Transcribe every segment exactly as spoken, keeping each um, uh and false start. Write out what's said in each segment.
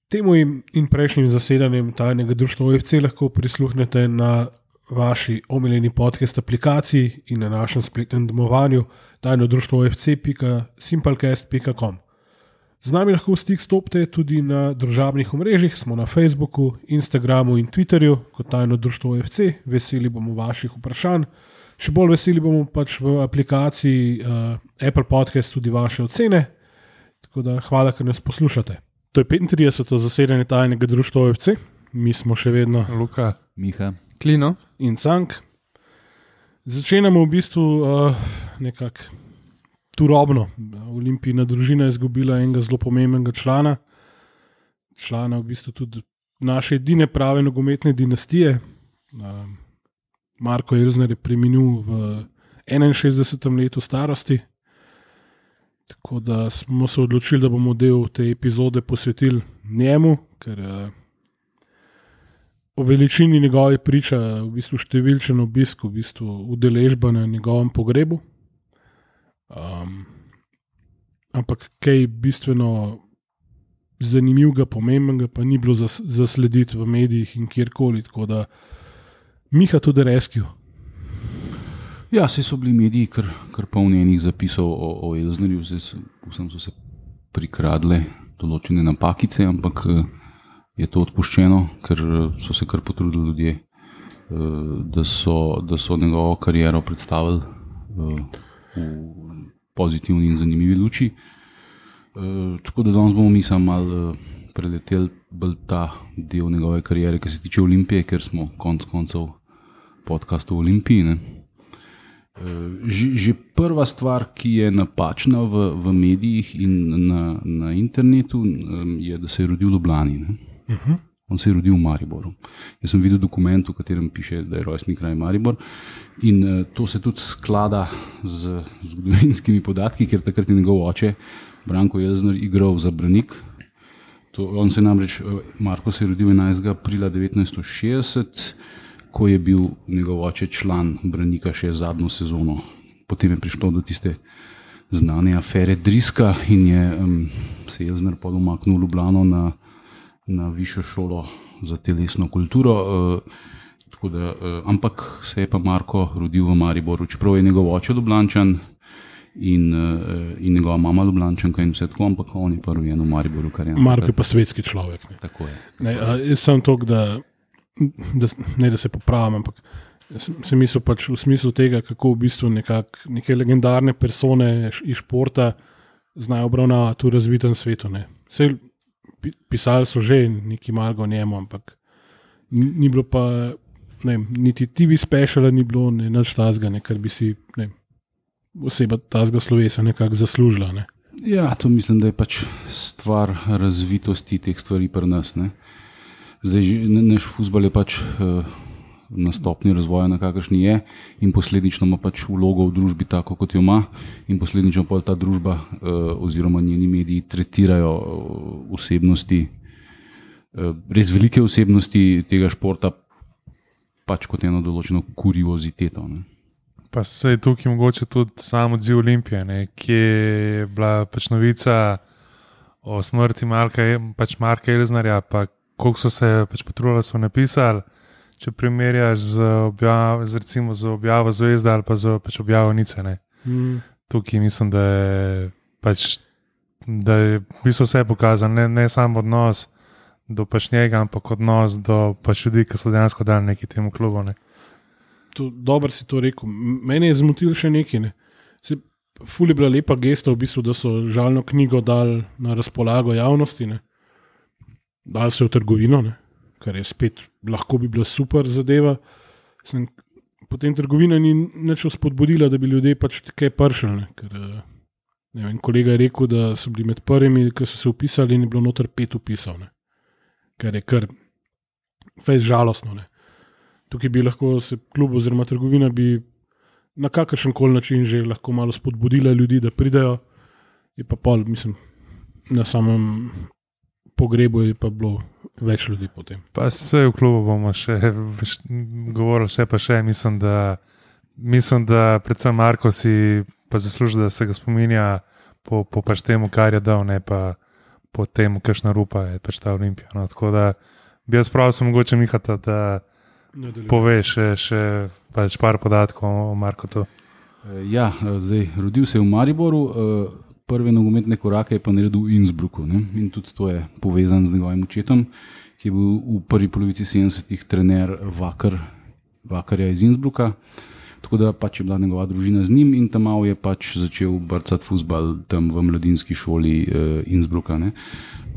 Temu in prejšnjim zasedanjem tajnega društva O F C lahko prisluhnete na vaši omiljeni podcast aplikaciji in na našem spletnem domovanju tajno društvo O F C pika simplecast pika com. Z nami lahko v stik stopite tudi na družabnih omrežjih, smo na Facebooku, Instagramu in Twitterju kot tajno društvo O F C. Veseli bomo vaših vprašanj. Še bolj veseli bomo pač v aplikaciji uh, Apple Podcast tudi vaše ocene. Tako da hvala, ker nas poslušate. To je petintrideseto zasedanje tajnega društva O F C. Mi smo še vedno Luka, Miha, Klino in Cank. Začenjamo v bistvu uh, nekako turobno. Olimpijina družina je izgubila enega zelo pomembnega člana. Člana v bistvu tudi naše edine prave nogometne dinastije. Uh, Marko Elzner je preminil v enainšestdesetem letu starosti. Tako da smo se odločili, da bomo del te epizode posvetili njemu, ker uh, o veličini njegove priča v bistvu številčen obisk, v bistvu udeležba na njegovem pogrebu. Um, ampak kaj bistveno zanimivega, pomembnega pa ni bilo zas, zaslediti v medijih in kjerkoli, tako da Miha tudi rescue. Ja, vse so bili mediji kar, kar polni enih zapisov o, o Elznerju, vsem so se prikradle določene napakice, ampak je to odpuščeno, ker so se kar potrudili ljudje, da so, da so njegovo kariero predstavili v pozitivni in zanimivi luči. Tako da danes bomo mi samo malo preleteli bolj ta del njegove kariere, ki se tiče Olimpije, ker smo konc koncev podcast o Olimpiji, ne? Že, že prva stvar, ki je napačna v, v medijih in na, na internetu, je, da se je rodil v Ljubljani. Uh-huh. On se je rodil v Mariboru. Jaz sem videl dokument, v katerem piše, da je rojstni kraj Maribor, in uh, to se tudi sklada z zgodovinskimi podatki, ker takrat je njegov oče Branko Elzner igral za Branik. To, on se namreč, Marko se je rodil enajstega aprila devetnajststo šestdeset, ko je bil njegov oče član Branika še zadnjo sezono. Potem je prišlo do tiste znane afere Driska in je um, se Elzner pod umaknil v Ljubljano na, na višjo šolo za telesno kulturo. Uh, tako da, uh, ampak se je pa Marko rodil v Mariboru, čeprav je njegov oče Ljubljančan in, uh, in njegova mama Ljubljančanka in vse tako, ampak on je pa rojen v Mariboru. Kar je Marko je pa svetski človek. Ne. Tako je. Ne, a, jaz sem tok, da Da, ne da se popravim, ampak sem mislil pač v smislu tega, kako v bistvu nekak, neke legendarne persone iz športa znajo obravnavati v razvitem svetu. Ne. Vse pisali so že neki malgo o njemu, ampak ni, ni bilo pa ne, niti T V speciala ni bilo ne, nič tazga, ne, kar bi si ne, oseba tazga slovesa nekako zaslužila. Ne. Ja, to mislim, da je pač stvar razvitosti teh stvari pri nas, ne. Zdaj, naš fuzbal je pač uh, na stopni razvoja, na kakršni je, in posledično ima pač vlogo v družbi tako, kot jo ima, in posledično pa ta družba uh, oziroma njeni mediji tretirajo uh, osebnosti, uh, res velike osebnosti tega športa, pač kot eno določeno kurioziteto. Ne. Pa se je tukaj mogoče tudi sam odziv Olimpije, ne, ki je bila pač novica o smrti Marka, pač Marka Elznerja, pa koliko so se pač potrudili, so napisali, če primerjaš z, objav, z, recimo, z objavo Zvezde ali pa z pač objavo Nice. Mm. Tukaj mislim, da je, pač, da je v bistvu vse pokazano, ne, ne samo odnos do pač njega, ampak odnos do pač ljudi, ki so dejansko dali neki temu klubu. Ne. To, dobro si to rekel. Mene je zmotil še nekaj. Ne. Se, ful je bila lepa gesta, v bistvu, da so žalno knjigo dali na razpolago javnosti. Ne. Dali se v trgovino, ne? Kar je spet lahko bi bila super zadeva. Sem, potem trgovina ni nič spodbudila, da bi ljudje pač kaj pršali. Ker, ne vem, kolega je rekel, da so bili med prvimi, ki so se upisali in je bilo noter pet upisal. Ne? Kar je kar fejs žalostno. Ne? Tukaj bi lahko se klub oziroma trgovina bi na kakršen koli način že lahko malo spodbudila ljudi, da pridejo. Je pa pol, mislim, na samem pogrebu je pa bilo več ljudi potem. Pa se v klubu bomo še govorili, še pa še, mislim, da mislim, da predvsem Marko si pa zasluži, da se ga spominja po, po pač temu, kar je dal, ne pa potem kakšna rupa je pač ta Olimpija. No, tako da bi jaz prav sem mogoče Mihata, da pove še, še pač par podatkov o Markotu. Ja, zdaj rodil se je v Mariboru, prve nogometne korake je pa naredil v Innsbrucku, ne? In tudi to je povezan z njegovim očetom, ki je bil v prvi polovici sedemdesetih trener Vakar, Vakarja iz Innsbrucka, tako da pač je bila njegova družina z njim in tam malo je pač začel brcati fuzbal tam v mladinski šoli uh, Innsbrucka. Ne?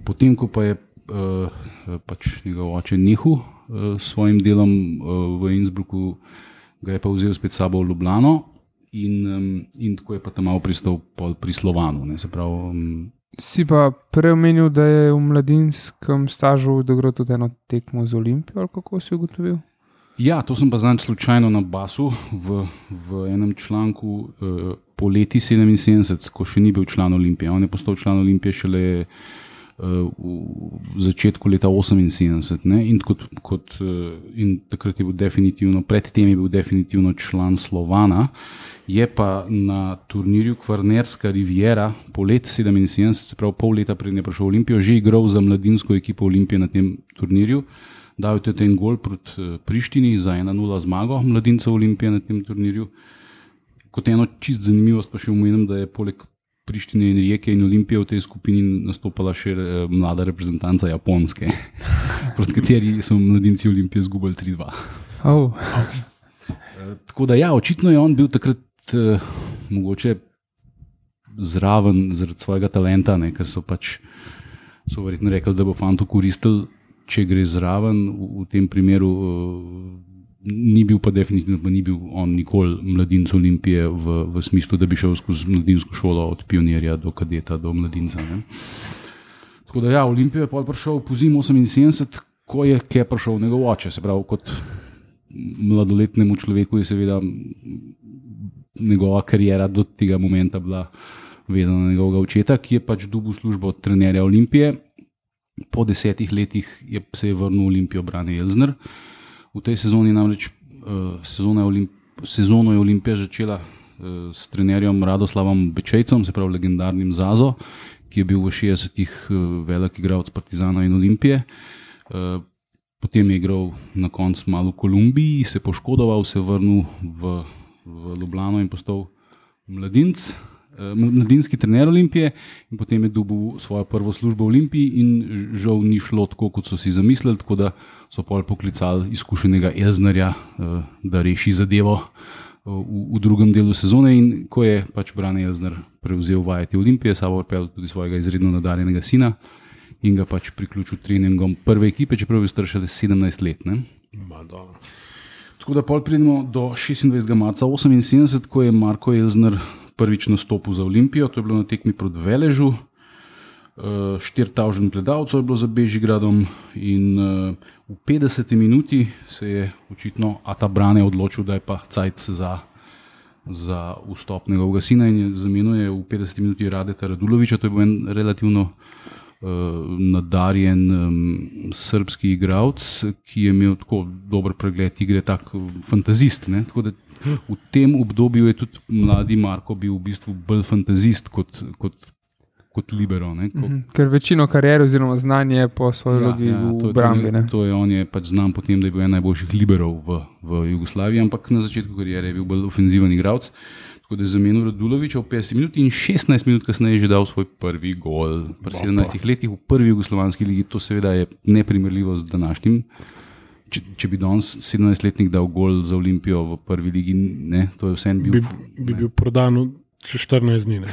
Potem, ko pa je uh, pač njegov oče nehal uh, s svojim delom uh, v Innsbrucku, ga je pa vzel spet sabo v Ljubljano in, um, in tako je pa tam malo pristal pri Slovanu. Ne? Se pravi, um, Si pa prej omenil, da je v mladinskem stažu doigral tudi eno tekmo z Olimpijo, ali kako si ugotovil? Ja, to sem pa zanj slučajno na basu v, v enem članku uh, po leti sedeminsedemdeset, ko še ni bil član Olimpije. On je postal član Olimpije šele uh, v začetku leta oseminsedemdeset, ne? In, kot, kot, uh, in takrat je bil definitivno, predtem je bil definitivno član Slovana. Je pa na turnirju Kvarnerska Riviera po letu sedeminsedemdeset, se pravi pol leta pred je prišel v Olimpijo, že igral za mladinsko ekipo Olimpije na tem turnirju. Dal je tudi en gol proti Prištini za ena nula zmago mladincev Olimpije na tem turnirju. Kot eno čist zanimivost pa še omenim, da je poleg Prištine in Rijeke in Olimpije v tej skupini nastopala še mlada reprezentanca Japonske, proti kateri so mladinci Olimpije zgubili tri dva. Oh. Tako da ja, očitno je on bil takrat eh, mogoče zraven zaradi svojega talenta, ne, ker so pač so verjetno rekli, da bo fantu koristil, če gre zraven. V, v tem primeru uh, ni bil pa definitivno, pa ni bil on nikoli mladinec Olimpije v, v smislu, da bi šel skozi mladinsko šolo od pionirja do kadeta do mladinca. Ne. Tako da ja, Olimpijo je pa prišel po zimu oseminsedemdeset, ko je kje prišel njegov oče, se pravi kot mladoletnemu človeku je seveda njegova karijera do tega momenta bila vezana na njegovega očeta, ki je pač dobil službo od trenerja Olimpije. Po desetih letih je se je vrnil v Olimpijo Brane Elzner. V tej sezoni namreč uh, sezona je Olimp, sezono je Olimpija začela uh, s trenerjem Radoslavom Bečejcem, se pravi legendarnim Zazo, ki je bil v šestdesetih uh, velik igralec Partizana in Olimpije. Uh, potem je igral na koncu malo v Kolumbiji, se poškodoval, se vrnil v, v Ljubljano in postal mladinec. mladinski trener Olimpije in potem je dobil svojo prvo službo v Olimpiji in žal ni šlo tako, kot so si zamislili, tako da so pol poklicali izkušenega Elznerja, da reši zadevo v, v drugem delu sezone in ko je pač Brane Elzner prevzel vajeti Olimpije, sabo pripeljal tudi svojega izredno nadarjenega sina in ga pač priključil treningom prve ekipe, čeprav je star šele sedemnajst let. Ne? Tako da pol pridemo do šestindvajsetega marca oseminsedemdeset, ko je Marko Elzner prvič nastopil za Olimpijo, to je bilo na tekmi proti Veležu, štiri tisoč gledalcev je bilo za Bežigradom in v petdeseti minuti se je očitno Ata Brane odločil, da je pa cajt za, za vstop njegovega sina in je zamenjal v petdeseti minuti Radeta Raduloviča, to je bil en relativno uh, nadarjen um, srbski igralec, ki je imel tako dober pregled igre, tak fantazist, ne, tako da v tem obdobju je tudi mladi Marko bil v bistvu bolj fantazist kot, kot, kot libero. Ne? Ko... Mm-hmm. Ker večino kariere oziroma znanje po svoji ja, logi ja, v obrambi. To, to je on je pač znan potem, da je bil en najboljših liberov v, v Jugoslaviji, ampak na začetku kariere je bil bolj ofenziven igralec. Tako da je zamenil Raduloviča v petdesetih minuti in šestnajst minut kasneje je že dal svoj prvi gol. Pri sedemnajstih letih v prvi jugoslovanski ligi, to seveda je neprimerljivo z današnjim. Če, če bi danes sedemnajstletnik dal gol za Olimpijo v prvi ligi, ne, to je vsem bil... Bi, bi bil prodan še štirinajst dni, ne.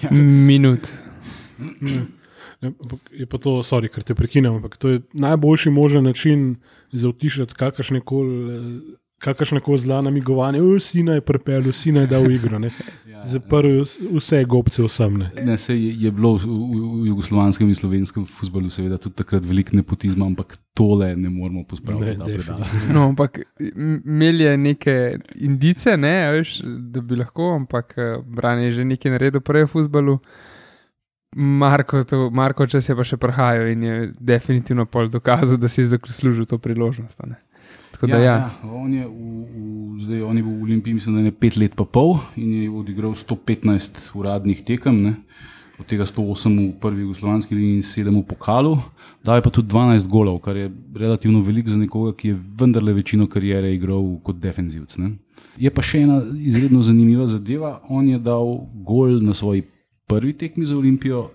ja. Minut. Ne, ne, je pa to, sorry, ker te prekinem, ampak to je najboljši možen način za utišati kakršnekoli zla namigovanje, sina je pripeljal, sina je dal igro, ne. Zaprl vse gobce vsem. Ne. Ne, se je, je bilo v, v jugoslovanskem in slovenskem fuzbalu seveda tudi takrat veliko nepotizma, ampak tole ne moramo pospraviti. Ne, no, ampak imeli je neke indice, ne, veš, da bi lahko, ampak Brane je že nekaj naredil prej v fuzbalu. Marko, to, Marko čas je pa še prihajal in je definitivno pol dokazal, da si je zaslužil to priložnost. Ne. Tako da, ja, ja. Ja, on, je v, v, zdaj, on je v Olimpiji, mislim, da je pet let pa pol in je odigral sto petnajst uradnih tekem. Ne. od tega sto osem v prvi jugoslovanski ligi in sedem v pokalu, dal je pa tudi dvanajst golov, kar je relativno veliko za nekoga, ki je vendarle večino kariere igral kot defenzivc. Ne. Je pa še ena izredno zanimiva zadeva, on je dal gol na svoji prvi tekmi za Olimpijo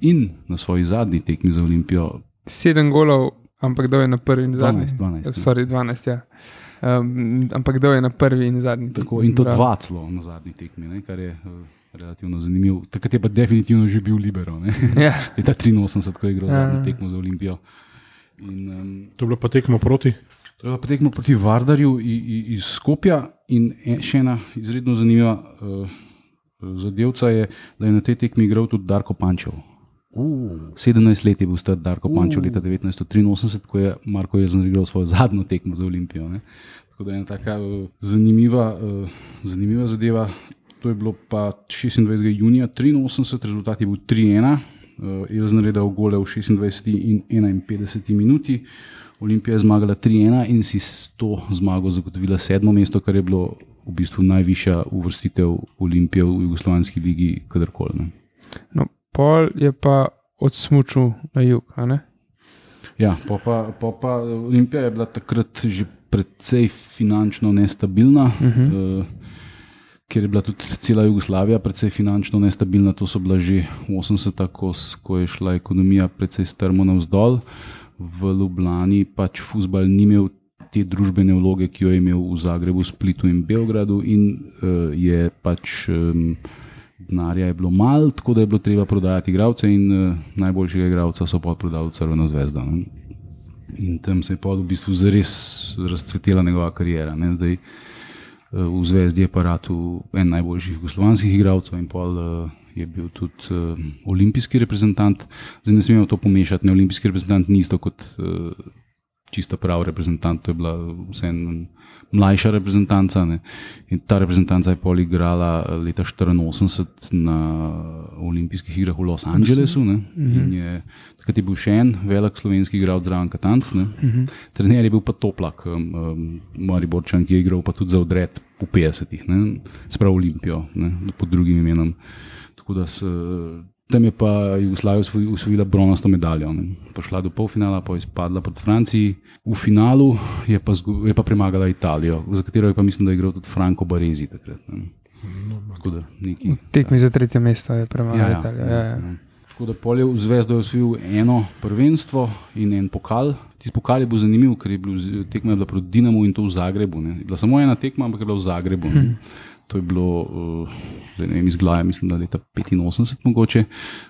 in na svoji zadnji tekmi za Olimpijo. Sedem golov, ampak dal je na prvi in zadnji. dvanajst, dvanajst. Sorry, dvanajst, ja. Um, ampak dal je na prvi in zadnji. Tako, in to dva celo na zadnji tekmi, ne, kar je uh, relativno zanimivo. Takrat je pa definitivno že bil libero. Ja. Leta triinosemdeset, ko je igral Ja. zadnjo tekmo za Olimpijo. In, um, To je bilo pa tekmo proti. to je bila pa tekmo proti Vardarju i- i- iz Skopja in e- še ena izredno zanimiva uh, zadevca je, da je na tej tekmi igral tudi Darko Pančev. Uh. sedemnajst let je bil star Darko Pančev leta devetnajststo triinosemdeset, ko je Marko Jelzner igral svojo zadnjo tekmo za Olimpijo. Ne. Tako da je ena taka uh, zanimiva, uh, zanimiva zadeva. To je bilo pa šestindvajsetega junija triinosemdeset, rezultat je bil tri ena. Uh, Jelzner je dal gole v šestindvajseti in enainpetdeseti minuti. Olimpija je zmagala tri ena in si s to zmago zagotovila sedmo mesto, kar je bilo v bistvu najvišja uvrstitev Olimpije v jugoslovanski ligi kadarkoli. Ne. No, pol je pa odsmučil na jug, a ne? Ja, pa, pa, pa, pa Olimpija je bila takrat že precej finančno nestabilna, uh-huh. uh, ker je bila tudi cela Jugoslavija precej finančno nestabilna. To so bila že osemdeseta, ko, s- ko je šla ekonomija precej strmo navzdol. V Ljubljani pač fuzbal ni imel te družbene vloge, ki jo je imel v Zagrebu, Splitu in Beogradu, in uh, je pač um, denarja je bilo malo, tako da je bilo treba prodajati igralce, in uh, najboljšega igralca so pa prodali v Crveno zvezdo. Ne. In tam se je pa v bistvu zares razcvetela njegova kariera. Ne. Zdaj, uh, v Zvezdi je pa ratu en najboljših jugoslovanskih igralcev in pol uh, je bil tudi uh, olimpijski reprezentant. Zdaj ne smemo to pomešati, ne, olimpijski reprezentant ni isto kot uh, čisto prav reprezentant, to je bila vseeno mlajša reprezentanca. Ne. In ta reprezentanca je pol igrala leta štiriinosemdeset na olimpijskih igrah v Los Angelesu. Ne. In je, takrat je bil še en velik slovenski igralec zraven Katanc. Ne. Trener je bil pa Toplak, um, um, Mariborčan, ki je igral pa tudi za Odred v petdesetih, ne. Sprav Olimpijo, ne, pod drugim imenom. Tako da se, tam je pa Jugoslavija osvoj- osvojila bronasto medaljo. Ne. Prišla do polfinala, pa je izpadla proti Franciji. V finalu je pa, zgu, je pa premagala Italijo, za katero je pa mislim, da je igral tudi Franco Baresi takrat. Ne. Tako da neki. Tekmi za tretje mesto je premagal Ja, Italijo. ja, Ja, ja. ja. Tako da pol je v Zvezdo je osvojil eno prvenstvo in en pokal. Tisti pokal je bil zanimiv, ker je bil z- tekma je bila proti Dinamu in to v Zagrebu. Ne. Je bila samo ena tekma, ampak je bila v Zagrebu. Ne. To je bilo, uh, zdaj ne vem, iz glave, mislim, da leta petinosemdeset mogoče.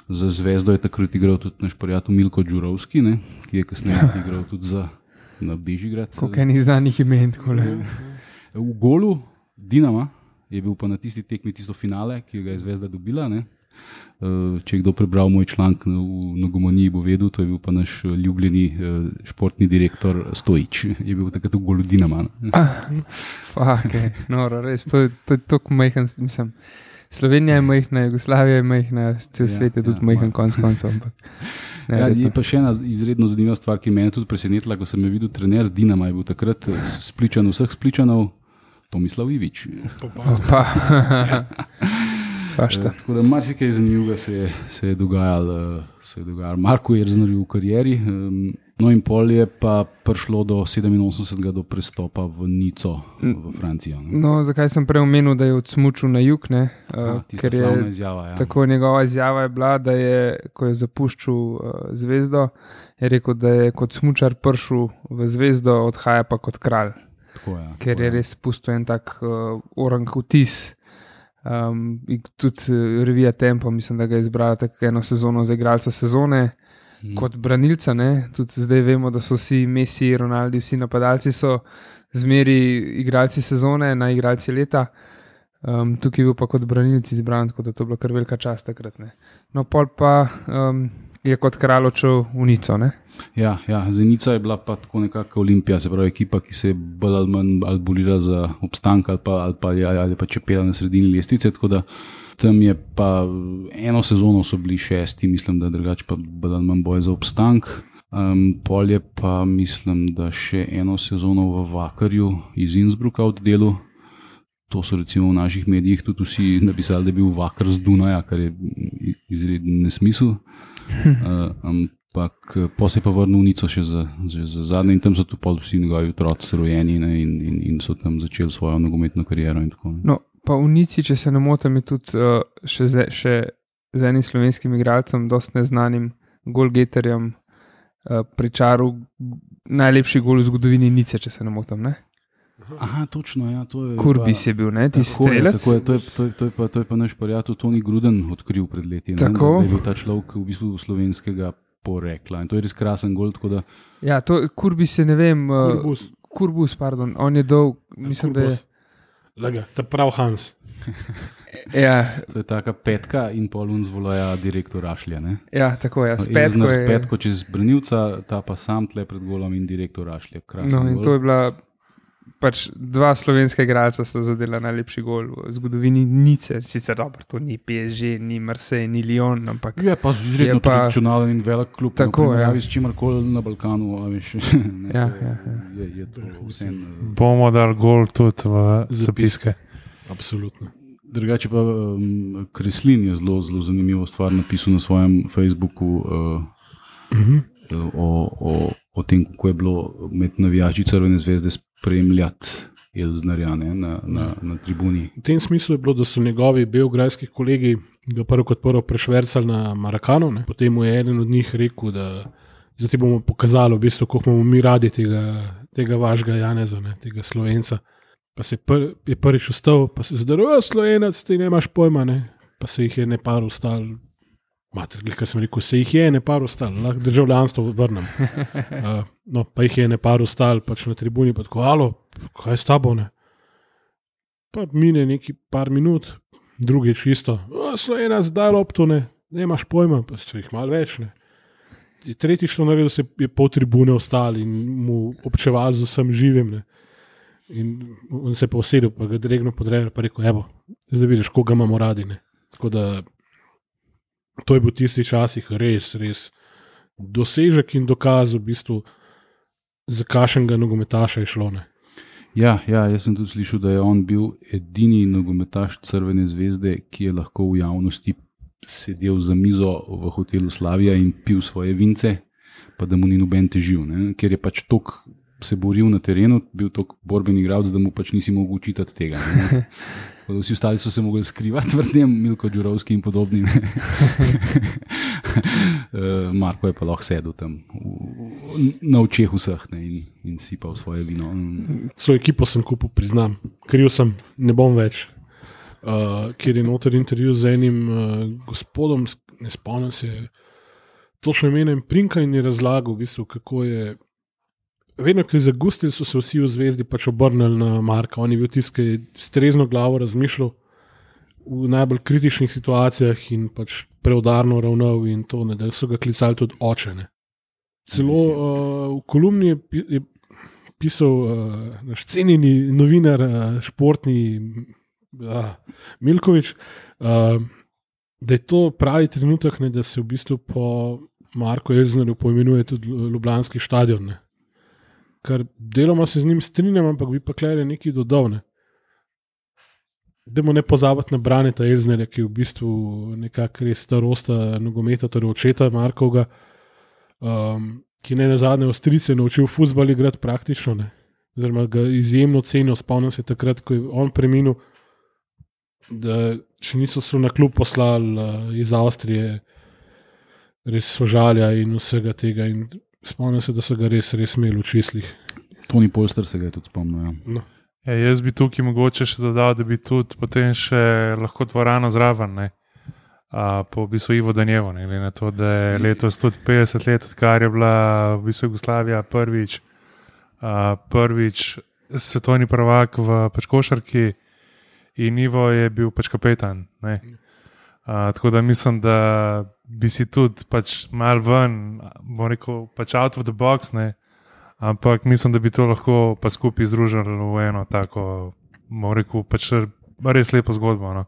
Za Zvezdo je takrat igral tudi naš prijatelj Milko Đurovski, ne, ki je kasneje igral tudi za na Bežigrad. Koliko enih znanih imen, takole. V golu Dinama je bil pa na tisti tekmi tisto finale, ki ga je Zvezda dobila. Ne. Uh, Če je kdo prebral moj članek v Nogomoniji, bo vedel, to je bil pa naš uh, ljubljeni uh, športni direktor Stojič, je bil takrat v golu Dinama. Ne. Ah, fuck, okay. Noro, res, to je to je tako majhen, mislim. Slovenija je majhna, Jugoslavija je majhna, cel Ja, svet je tudi ja, majhen ma- konc koncev. ampak Ja, neverjetno. je pa še ena izredno zanimiva stvar, ki me je tudi presenetila, ko sem jo videl. Trener Dinama je bil takrat uh, spličan vseh spličanov, Tomislav Ivić. Opa. Svašta. Eh, Tako da marsikaj zanimivega se je, se je dogajalo, se je dogajalo Marku Jelznerju v karieri. em, No in pol je pa prišlo do sedeminosemdesetega do prestopa v Nico v Francijo. Ne. No, zakaj sem prej omenil, da je odsmučil na jug, ne? Uh, Ah, tista ker slavna je izjava, ja. tako njegova izjava je bila, da je, ko je zapuščal uh, zvezdo, je rekel, da je kot smučar prišel v zvezdo, odhaja pa kot kralj, Tako, ja, ker tako, je ja. res pustil en tak uh, orang vtis. Um, in tudi uh, revija Tempo, mislim, da ga je izbrala tako eno sezono za igralca sezone. Mhm. Kot branilca, ne? Tudi zdaj vemo, da so vsi Messi, Ronaldi, vsi napadalci so zmeri igralci sezone, na igralci leta. Um, tukaj je bil pa kot branilci izbran, tako da to je bila kar velika čast takrat. Ne? No, pol pa um, je kot kralj odšel v Nico. Ne? Ja, ja, Zenica je bila pa tako nekako Olimpija, se pravi ekipa, ki se je bolj ali manj ali bolila za obstanek ali pa, ali pa, ali pa čepela na sredini lestvice. Tako da tam je pa eno sezono so bili šesti, mislim, da drugače pa bolj ali manj boj za obstanek. Um, pol je pa mislim, da še eno sezono v Vakarju iz Innsbrucka oddelil. to so recimo v naših medijih tudi vsi napisali, da je bil vakar z Dunaja, kar je izreden nesmisel. Uh, ampak po se je pa vrnil v Nico še za, za, za zadnje in tam so tu pol vsi njegovi otroci rojeni ne, in, in, in so tam začeli svojo nogometno kariero in tako. No, pa v Nici, če se ne motim, je tudi uh, še, z, še z enim slovenskim igralcem, dost neznanim golgeterjem, uh, pričaril najlepši gol v zgodovini Nice, če se ne motim, ne? Aha, točno, ja, to je. Kurbis je bil, ne, ti strelec. Tako je, to je, to je, to je, pa, to je pa naš prijatelj Toni Gruden odkril pred leti. Ne, Tako. Da je bil ta človek v bistvu slovenskega porekla in to je res krasen gol, tako da. Ja, to Kurbis je, ne vem, uh, Kurbus. Kurbus, pardon, on je dolg, mislim, da je. Lega, ta prav Hans. Ja, To je taka petka in polun zvolaja direktor Rašlja, ne? ja, tako je, s Elzner petko s je. petko čez branilca, ta pa sam tle pred golom in direktor Rašlja. Krasen No, in gol. to je bila pač dva slovenska igralca sta zadela najlepši gol v zgodovini Nice. Sicer dobro, to ni P S G, ni Marseille, ni Lyon, ampak Je pa izredno Je pa- tradicionalen in velik klub, Tako, v primerjavi ja. s čimarkoli na Balkanu. A veš, ne, Ja, to je, ja, ja. Je, je to vseeno. Bomo dali gol tudi v zapiske. Absolutno. Drugače pa um, Kreslin je zelo, zelo zanimivo stvar napisal na svojem Facebooku uh, Mhm. o, o, o tem, kako je bilo med navijači Crvene zvezde spremljati Elznerja ne, na, na, na tribuni. V tem smislu je bilo, da so njegovi beograjski kolegi ga prvo kot prvo prešvercali na Marakanu, ne. Potem mu je eden od njih rekel, da zdaj ti bomo pokazali, v bistvu, koliko imamo mi radi tega, tega vašega Janeza, ne, tega Slovenca. Pa se je, pr, je prvič vstal, pa se je zdaril, Slovenec, ti nemaš pojma, ne. Pa se jih je ne par ustal, mater, kar sem rekel, se jih je ne par ustal, lahko državljanstvo vrnem. Uh, no, pa jih je ne par ustal, pač na tribuni, pa tako, alo, kaj je s tabo, ne. Pa mine neki par minut, drugič isto, Slovenec, daj lopto, ne, nemaš pojma, pa se jih malo več, ne. In tretjič to naredil, se je pol tribune ostali in mu občeval z vsem živim, ne. In on se je pa usedel, pa ga dregno podrejal, pa rekel, evo, zdaj vidiš, koga imamo radi, ne. Tako da to je bil tisti časih res, res dosežek in dokaz v bistvu, za kakšnega nogometaša je šlo, ne. Ja, ja, jaz sem tudi slišal, da je on bil edini nogometaš Crvene zvezde, ki je lahko v javnosti sedel za mizo v hotelu Slavija in pil svoje vince, pa da mu ni noben težil, ne? Ker je pač tok se boril na terenu, bil tok borben igralec, da mu pač nisi mogel učitati tega. Ne? Vsi ostali so se mogli skrivati v tem, Milko Đurovski in podobni. Marko je pa lahko sedel tam v, na očeh vseh ne? in, in sipal svoje vino. Svojo ekipo sem kupil, priznam, kriv sem, ne bom več. Uh, kjer je noter intervju z enim uh, gospodom, ne spomnim se, točno imenem Prinka in je razlagal, v bistvu, kako je. Vedno, ko je zagustil, so se vsi v zvezdi pač obrnili na Marka. On je bil tisti, ki je s trezno glavo razmišljal v najbolj kritičnih situacijah in pač preudarno ravnal in to, ne, da so ga klicali tudi oče. Ne. Celo uh, v kolumni je, pi- je pisal uh, naš cenjeni novinar, uh, športni uh, Milkovič, uh, da je to pravi trenutek, ne, da se v bistvu po Marku Elznerju poimenuje tudi Ljubljanski stadion. Ne. Ker deloma se z njim strinjam, ampak bi pa Klere nekaj dodal. Ne. Dajmo ne pozabiti na Braneta Elznerja, ki je v bistvu nekako res starosta nogometa, torej očeta Markovga, um, ki ne nazadnje Avstrijce naučil fuzbal igrati praktično, ne. Oziroma ga izjemno cenijo. Spomnim se takrat, ko je on preminil, da še niso se na klub poslali uh, iz Avstrije, res sožalja in vsega tega. In spomnim se, da so ga res, res imeli v čislih. Toni Polster se ga je tudi spomnil. Ja. No. Ja, jaz bi tukaj mogoče še dodal, da bi tudi potem še lahko dvorano zraven, ne, a, po v bistvu Ivo Danjevo, ne, glede na to, da je letos tudi petdeset let, odkar je bila v bistvu Jugoslavija prvič, a, prvič svetovni prvak v pač košarki in Ivo je bil pač kapetan. Ne. A, tako da mislim, da bi si tudi pač mal ven, bom rekel, pač out of the box, ne, ampak mislim, da bi to lahko pa skupaj združili v eno tako, bom rekel, pač res lepo zgodbo. No.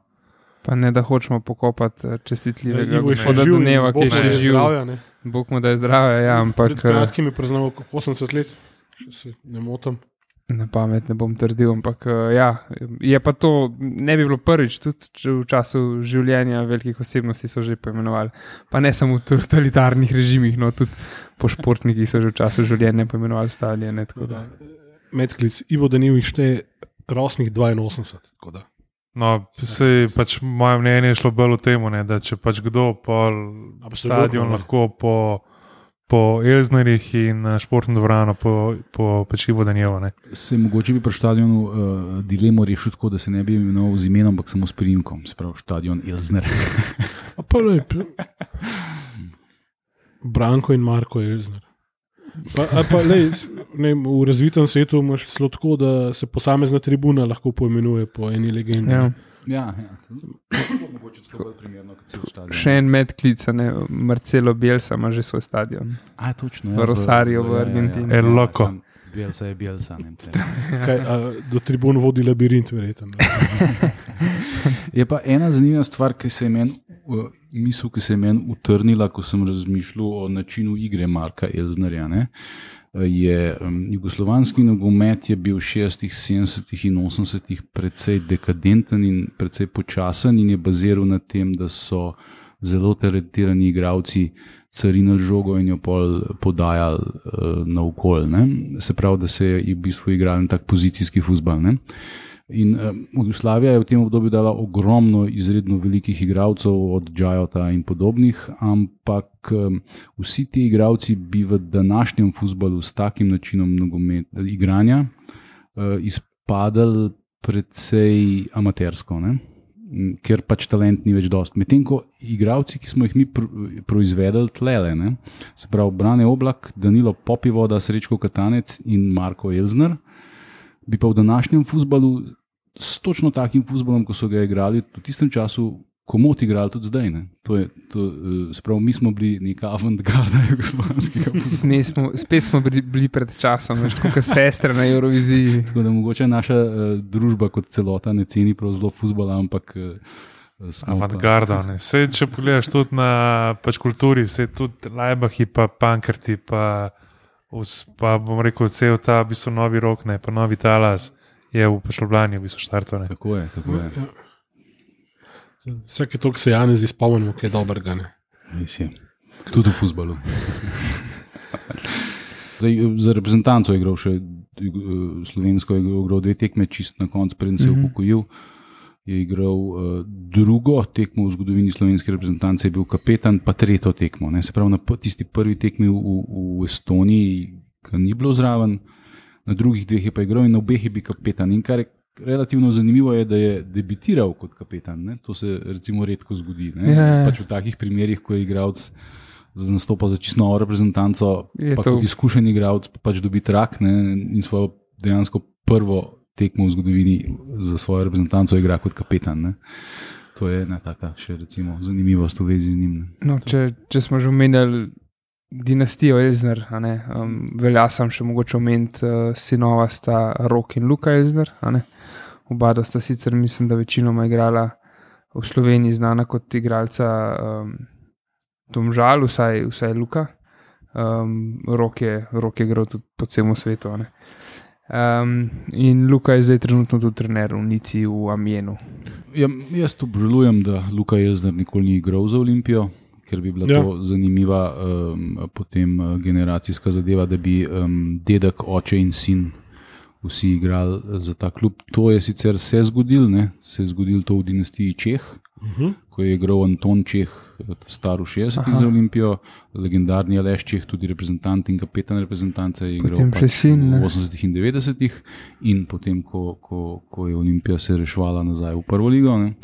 pa ne da hočemo pokopati eh, čestitljivega Ivo je še gospoda živ, Duneva, ki Bog je mu še daj živ. zdravja, ne. Bog mu da je zdravje, ja, ampak Pred kratkim je praznal osemdeset let, če se ne motim. Na pamet ne bom trdil, ampak uh, ja, je pa to, ne bi bilo prvič, tudi v času življenja velikih osebnosti so že poimenovali. Pa ne samo v totalitarnih režimih, no tudi po športnikih so že v času življenja poimenovali stadione. Medklic, Ivo Danil šteje rosnih dvainosemdeset. No, se pač moje mnenje je šlo bolj v tem, da če pač kdo pol stadion lahko po po Elznerjih in športno dvorano po, po pač Ivo Danilu. Se mogoče bi pri stadionu uh, dilemo rešil tako, da se ne bi imenoval z imenom, ampak samo s priimkom, se pravi stadion Elzner. Pa ne, Branko in Marko Elzner. Pa, pa, lej, ne, v razvitem svetu imaš celo tako, da se posamezna tribuna lahko poimenuje po eni legendi. Ja. Ja, ja. Primerno, še en medklic, ne, Marcelo Bielsa ima že svoj stadion. A, točno. V Rosario, v Argentini. El Loco. Bielsa je Bielsa. Kaj, a, do tribun vodi labirint, verjetno. Je pa ena zanimiva stvar, ki se je meni, misel, ki se je meni utrnila, ko sem razmišljal o načinu igre Marka Elznerja, ne. Je um, jugoslovanski nogomet je bil v šestih, sedemdesetih in osemdesetih precej dekadenten in precej počasen in je baziral na tem, da so zelo talentirani igralci carinili žogo in jo pol podajali uh, naokol. Se pravi, da se je v bistvu igral na tak pozicijski fuzbal. Ne? In uh, Jugoslavija je v tem obdobju dala ogromno izredno velikih igralcev od Džajota in podobnih, ampak um, vsi ti igralci bi v današnjem fuzbalu s takim načinom nogomet, igranja uh, izpadali precej amatersko, ne? Ker pač talent ni več dost. Medtem ko igralci, ki smo jih mi pr- proizvedeli tlele, ne? Se pravi Brane Oblak, Danilo Popivoda, Srečko Katanec in Marko Elzner, bi pa v današnjem fuzbalu s točno takim fuzbalom, ko so ga igrali v tistem času, komot igrali tudi zdaj. Ne? To je, to, se pravi, mi smo bili neka avantgarda jugoslovanskega fuzbala. Spet smo bili, bili pred časom, veš, kot sestre na Euroviziji. Tako da mogoče naša uh, družba kot celota ne ceni prav zelo fuzbala, ampak uh, avantgarda. Sej, če pogledaš tudi na pač kulturi, se tudi Lajbahi pa Pankrti pa pa bom rekel, cel ta v bistvu novi rok, ne, pa novi talas je v Ljubljani v bistvu štartov. Tako je, tako je. Vsake toliko se Janez izpomnimo, kaj je dobrega. Mislim, tudi v fuzbalu. Za reprezentanco je igral še slovensko, je igral dve tekme, čist na koncu, preden se je upokojil. Je igral uh, drugo tekmo v zgodovini slovenske reprezentance, je bil kapetan, pa tretjo tekmo. Ne. Se pravi, na tisti prvi tekmi v, v Estoniji ga ni bilo zraven, na drugih dveh je pa igral in na obeh je bil kapetan. In kar je relativno zanimivo je, da je debitiral kot kapetan. Ne. To se recimo redko zgodi. Ne. Yeah. Pač v takih primerih, ko je igralec nastopa za čisto novo reprezentanco, je pa to... kot izkušen igralec pa pač dobi trak, ne, in svojo dejansko prvo tekmo v zgodovini za svojo reprezentanco igra kot kapetan. Ne. To je ena taka še recimo zanimivost v vezi z njim. No, če, če smo že omenjali dinastijo Elzner, a ne, um, velja sam še mogoče omeniti uh, sinova sta Rok in Luka Elzner. A ne. Oba sta sicer, mislim, da večinoma igrala v Sloveniji, znana kot igralca um, Domžal, vsaj, vsaj Luka. Um, Rok je, Rok je igral tudi po celem svetu. A ne. Um, in Luka je zdaj trenutno tudi trener v Nici v Amienu. Ja, jaz obžalujem, da Luka Elzner nikoli ni igral za Olimpijo, ker bi bila ja. to zanimiva um, potem generacijska zadeva, da bi um, dedek, oče in sin vsi igrali za ta klub. To je sicer se zgodil, ne? Se je zgodil to v dinastiji Čeh, uh-huh. ko je igral Anton Čeh, star v šestdesetih za Olimpijo, legendarni Aleš Čeh, tudi reprezentant in kapetan reprezentance, je igral pač sin, v osemdesetih in devetdesetih in potem, ko, ko, ko je Olimpija se rešvala nazaj v prvo ligo. Ne?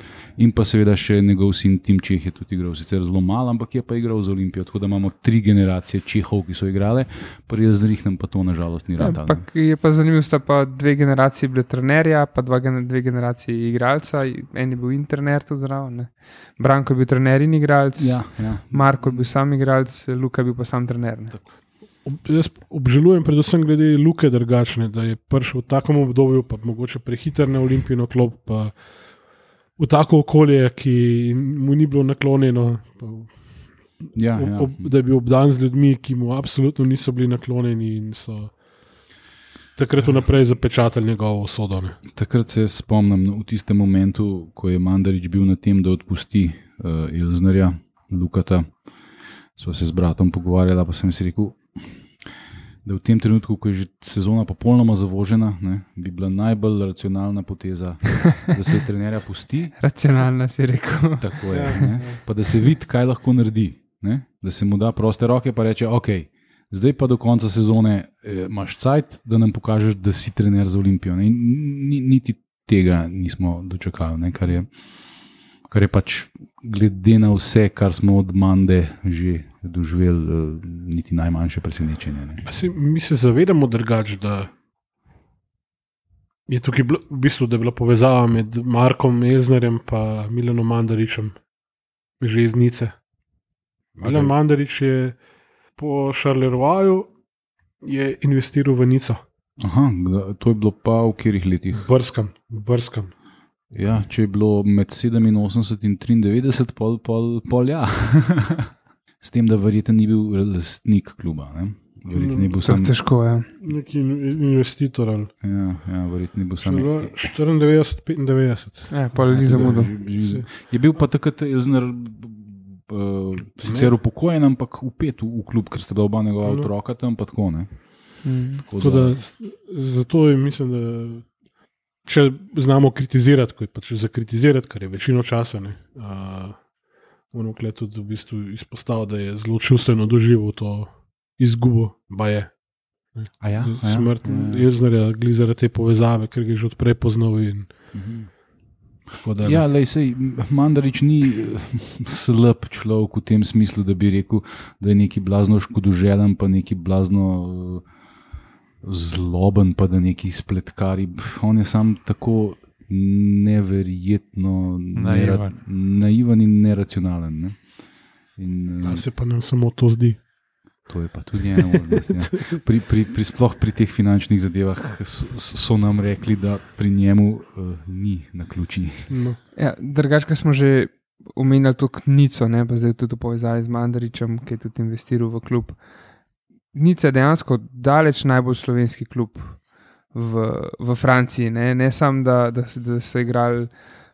In pa seveda še njegov sin Tim Čeh je tudi igral, sicer zelo malo, ampak je pa igral za Olimpijo, tako da imamo tri generacije Čehov, ki so igrale, pri Elznerjih nam pa to nažalost ni rad. Ja, je pa zanimivo, sta pa dve generacije bile trenerja, pa dva, dve generacije igralca, en je bil internet tudi zraven. Branko je bil trener in igralec, ja, ja. Marko je bil sam igralec, Luka je bil pa sam trener. Ob, jaz obžalujem predvsem glede Luke drugačne, da je prišel v takem obdobju, pa mogoče prehiter na Olimpijino klop, pa v tako okolje, ki mu ni bilo naklonjeno, pa, ja, ja. Ob, da je bil obdan z ljudmi, ki mu absolutno niso bili naklonjeni in so... takrat vnaprej zapečatili njegovo usodo. Ne? Takrat se spomnim v tistem momentu, ko je Mandarić bil na tem, da odpusti uh, Elznerja, Lukata. Sva se z bratom pogovarjala, pa sem si rekel, da v tem trenutku, ko je že sezona popolnoma zavožena, ne, bi bila najbolj racionalna poteza, da se trenerja pusti. Racionalna si rekel. Tako je. Ne, pa da se vidi, kaj lahko naredi. Ne, da se mu da proste roke, pa reče, ok, zdaj pa do konca sezone eh, imaš cajt, da nam pokažeš, da si trener za Olimpijo. Ne, in niti tega nismo dočakali, ne, kar je kar je pač glede na vse, kar smo od Mande že doživeli, niti najmanjše presenečenje. Si, mi se zavedamo drugače, da je tukaj bilo, v bistvu, da je bila povezava med Markom Elznerjem in Milanom Mandarićem že iz Nice. Milan okay. Mandarić je po Charleroi je investiral v Nico. Aha, to je bilo pa v katerih letih? Brskam, brskam. Ja, če je bilo med sedeminosemdeset in triindevetdeset, pol, pol, pol ja. S tem, da verjetno ni bil lastnik kluba. Ne? Verjetno ni bil sam... težko, ja. Neki investitor. Ali... Ja, ja, verjetno ni bil sam... štiriindevetdeset petindevetdeset. Ja, pol ni zamudil. Je bil pa takrat Elzner uh, sicer upokojen, ampak upet v, v klub, ker sta bila oba njegova no. otroka tam, pa tako, ne. Mm. Tako da... Da, zato je, mislim, da če znamo kritizirati, ko je pač za kritizirati, kar je večino časa, ne, uh, moramo kle tudi v bistvu izpostaviti, da je zelo čustveno doživel to izgubo, ba je. A ja? Smrt ja. Elznerja, glede zaradi te povezave, ker ga je že odprej poznal. In, mhm. da, ja, lej, sej, Mandarić ni slab človek v tem smislu, da bi rekel, da je neki blazno škodoželen, pa neki blazno uh, zloben, pa da neki spletkari. On je sam tako neverjetno naivan, naivan in neracionalen. Ne? In, da se pa nam samo to zdi. To je pa tudi ena možnost. Ja. Pri, pri, pri, sploh pri teh finančnih zadevah so, so nam rekli, da pri njemu uh, ni na ključi. No. Ja, drugače smo že omenjali to Nico, ne, pa zdaj tudi v povezavi z Mandarićem, ki je tudi investiral v klub. Nica je dejansko daleč najbolj slovenski klub v, v Franciji. Ne, ne samo, da, da, da so igrali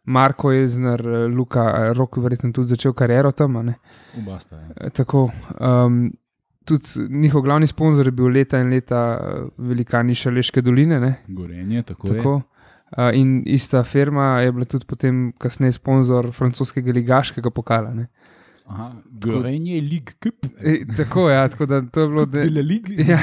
Marko Elzner, Luka, Rok verjetno tudi začel kariero tam. Oba sta, ja. Tako, um, tudi njihov glavni sponzor je bil leta in leta velikani Šaleške doline. Ne. Gorenje, tako, tako je. Uh, in ista firma je bila tudi potem kasneje sponzor francoskega ligaškega pokala. Ne. Aha, Gorenje League Cup. E, tako, ja, tako da to je bilo... De la Ligue. Ja,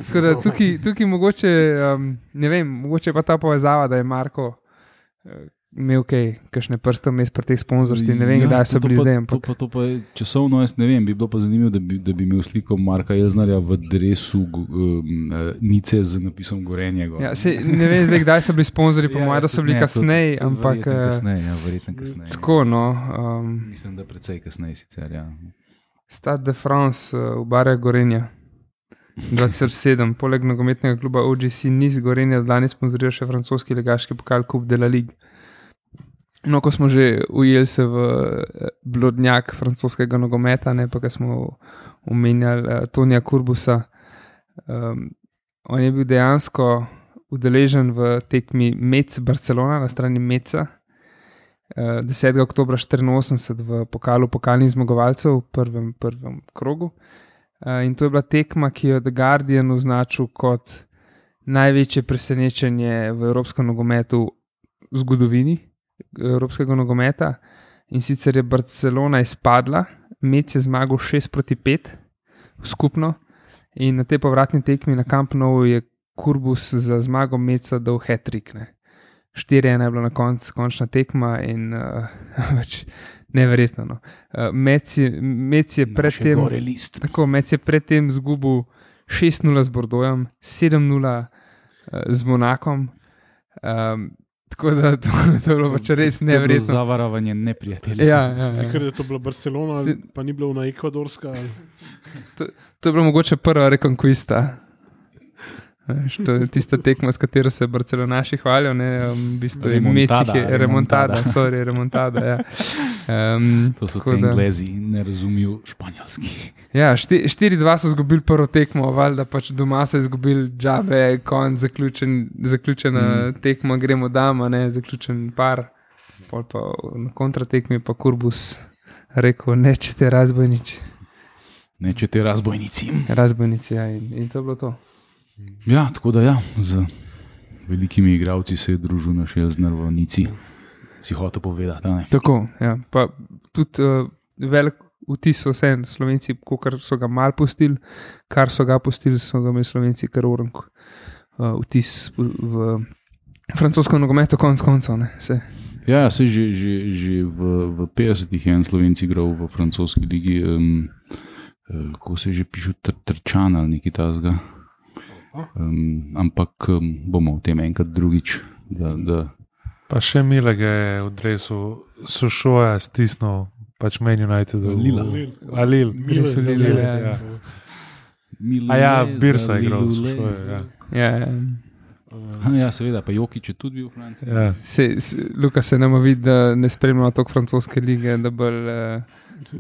tako da tukaj, tukaj mogoče, um, ne vem, mogoče pa ta povezava, da je Marko uh, imel kaj, kakšne prste vmes pri teh sponzorstvi, ne vem, ja, kdaj so bili zdaj. To, to, to pa je časovno, jaz ne vem, bi bilo pa zanimivo, da bi, da bi imel sliko Marka Elznerja v dresu um, Nice z napisom Gorenje. Ja, se, ne vem zdaj, kdaj so bili sponzori, po ja, mojem, da so bili kasneje, ampak... Verjetno kasneje, ja, verjetno kasneje. Tako, no. Um, Mislim, da precej kasneje sicer, ja. Stade de France uh, v Barja Gorenja. dva tisoč sedem, poleg nogometnega kluba O G C Nice Gorenja danes sponzorira še francoski ligaški pokal Coupe de la Ligue. No, ko smo že ujeli se v blodnjak francoskega nogometa, ne, pa ko smo omenjali uh, Tonija Kurbusa, um, on je bil dejansko udeležen v tekmi Metz Barcelona na strani Metza uh, desetega oktobra štiriinosemdeset v pokalu pokalnih zmagovalcev v prvem, prvem krogu. Uh, in to je bila tekma, ki jo The Guardian označil kot največje presenečenje v evropskem nogometu v zgodovini evropskega nogometa, in sicer je Barcelona izpadla, Metz je zmagal šest proti pet skupno, in na tej povratni tekmi na Camp Nou je Kurbus za zmago Metza dal hat-trick. štiri ena je bila na koncu končna tekma in uh, več neverjetno. No. Uh, Metz je, Metz je predtem tako, Metz je predtem zgubil šest nula z Bordeauxem, sedem nula uh, z Monakom. Um, Tako da to, to je bilo pač res neverjetno. Zavarovanje neprijatelja. Ja, ja, ja. Ker je to bila Barcelona, pa ni bila ona ekvadorska. To, to je bilo mogoče prva rekonkvista. Veš, to je tista tekma, s katero se barcelonaši hvalijo, ne, um, v bistvu je Remontada, Meci, je remontada, remontada. sorry, remontada, ja. Um, To so tako te da- Englezi, ne razumijo španjolski. Ja, šti- štiri dva so izgubili prvo tekmo, valjda pač doma so izgubili džabe, konc, zaključen, zaključena mm. tekma, gremo dama, ne, zaključen par. Pol pa na kontratekmi pa Kurbus rekel, nečete razbojniči. Nečete razbojnici. Razbojnici, ja, in, in to je bilo to. Ja, tako da ja, z velikimi igralci se je družil naš Elzner v Nici. Si hotel povedati, a ne? Tako, ja. Pa tudi uh, velik vtis so vse Slovenci, kar so ga mal pustili, kar so ga pustili, so ga imeli Slovenci kar orenk uh, vtis v, v francosko nogometo konc koncev, ne, se. Ja, se že, že, že v, v petdesetih je en Slovenci igral v francoski ligi, um, uh, kako se že piše, tr, Trčan ali nekaj tasga. Um, ampak um, bomo o tem enkrat drugič. Da, da, Pa še Milega je v dresu Sošoja stisnil, pač Man United. Lila. Alil. Dresu Lila, ja. ja. Mile A ja, za Birsa je igral v Lilule. Sošoju. Ja. Ja, ja. Ja, seveda, pa Jokič je tudi bil v Franciji. Ja. Se, se, Luka se nama vidi, da ne spremljamo toliko francoske lige, da bolj uh,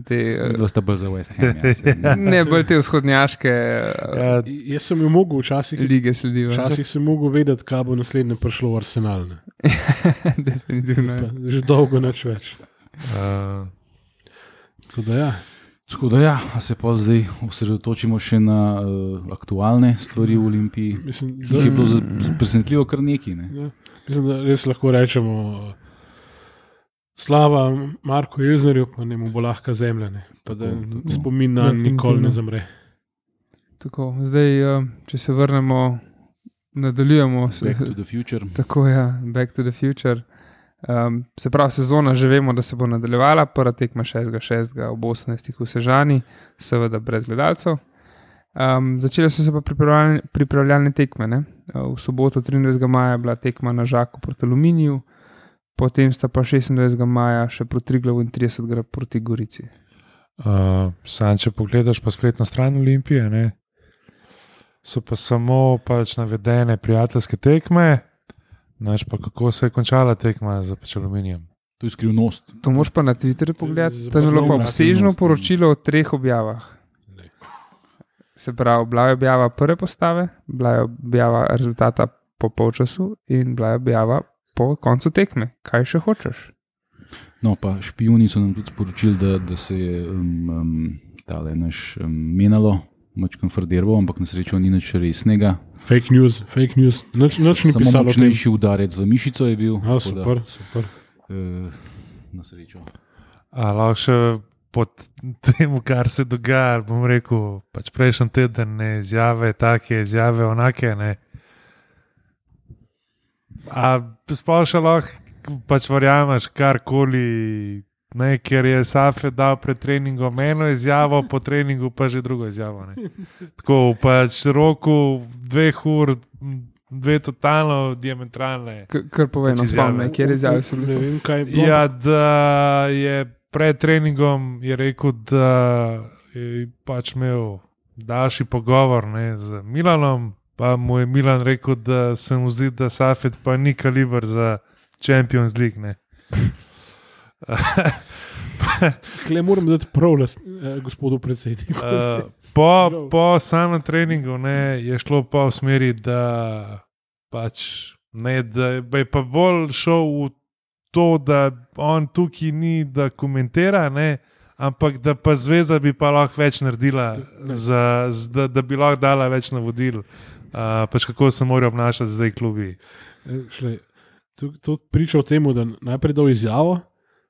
te, uh, Dva sta bolj za West Ham. Ja, se, ne. ne bolj te vzhodnjaške uh, Ja, Jaz sem jo mogel včasih, lige sledijo. včasih sem mogel vedeti, kaj bo naslednje prišlo v Arsenal. Ne. Definitivno. Pa, Ja. že dolgo nič več. uh, Tako da ja. Tako da ja, a se pa zdaj osredotočimo še na uh, aktualne stvari v Olimpiji. Mislim, Ki je da, bilo za- presenetljivo kar nekaj. Ne? ja, mislim, da res lahko rečemo slava Marku Elznerju, pa ne mu bo lahka zemlja. Ne. Pa da Tako, tako. spomin na nikoli ne zamre. Tako, zdaj, uh, če se vrnemo, nadaljujemo. s- Back to the future. Tako je, ja, Back to the Future. Um, se pravi, sezona že vemo, da se bo nadaljevala, prva tekma šestega šestega ob osemnajstih v Sežani, seveda brez gledalcev. Um, začele so se pa pripravljalne, pripravljalne tekme. Ne? V soboto, triindvajsetega maja, je bila tekma na Žaku proti Aluminiju, potem sta pa šestindvajsetega maja še proti Triglavu in tridesetega proti Gorici. uh, Sam, če pogledaš pa spletno stran Olimpije, ne, so pa samo pač navedene prijateljske tekme. Znaš pa, kako se je končala tekma za pač Aluminijem. To je skrivnost. To moš pa na Twitterju pogledati. Tam je bilo pa Poslovna obsežno skrivnost. poročilo o treh objavah. Se pravi, bila je objava prve postave, bila je objava rezultata po polčasu in bila je objava po koncu tekme. Kaj še hočeš? No, pa špijuni so nam tudi sporočili, da, da se je um, um, tale naš um, menalo, mačkam frderbo, ampak na srečo ni nič resnega. Fake news, fake news. Noč, noč ni Samo pisalo o tem. močnejši udarec v mišico je bil. A, tako da, super, super. Uh, na srečo. A lahko še pod tem, kar se dogaja, bom rekel, pač prejšnji teden ne izjave, take izjave, onake. Ne. A sploh še lahko pač verjameš karkoli, ne, ker je Safe dal pred treningom eno izjavo, po treningu pa že drugo izjavo. Ne. Tako pač roku dveh ur, dve totalno diametralne. K- Kar povej, no, Pač izjave. spomni, kjer izjave so Ne bile. vem, kaj je bilo. Ja, da je pred treningom je rekel, da je pač imel daljši pogovor ne, z Milanom, pa mu je Milan rekel, da se mu zdi, da Safet pa ni kaliber za Champions League. Ne. Kle moram dati prav last, eh, gospodu predsedniku. Uh, po po samem treningu ne, je šlo pa v smeri, da, pač, ne, da je pa bolj šel v to, da on tukaj ni, da komentira, ne, ampak da pa zveza bi pa lahko več naredila, za, z, da, da bi lahko dala več navodil, uh, pač kako se morajo obnašati zdaj klubi. Eh, šle, to, to priča o tem, da najprej dal izjavo,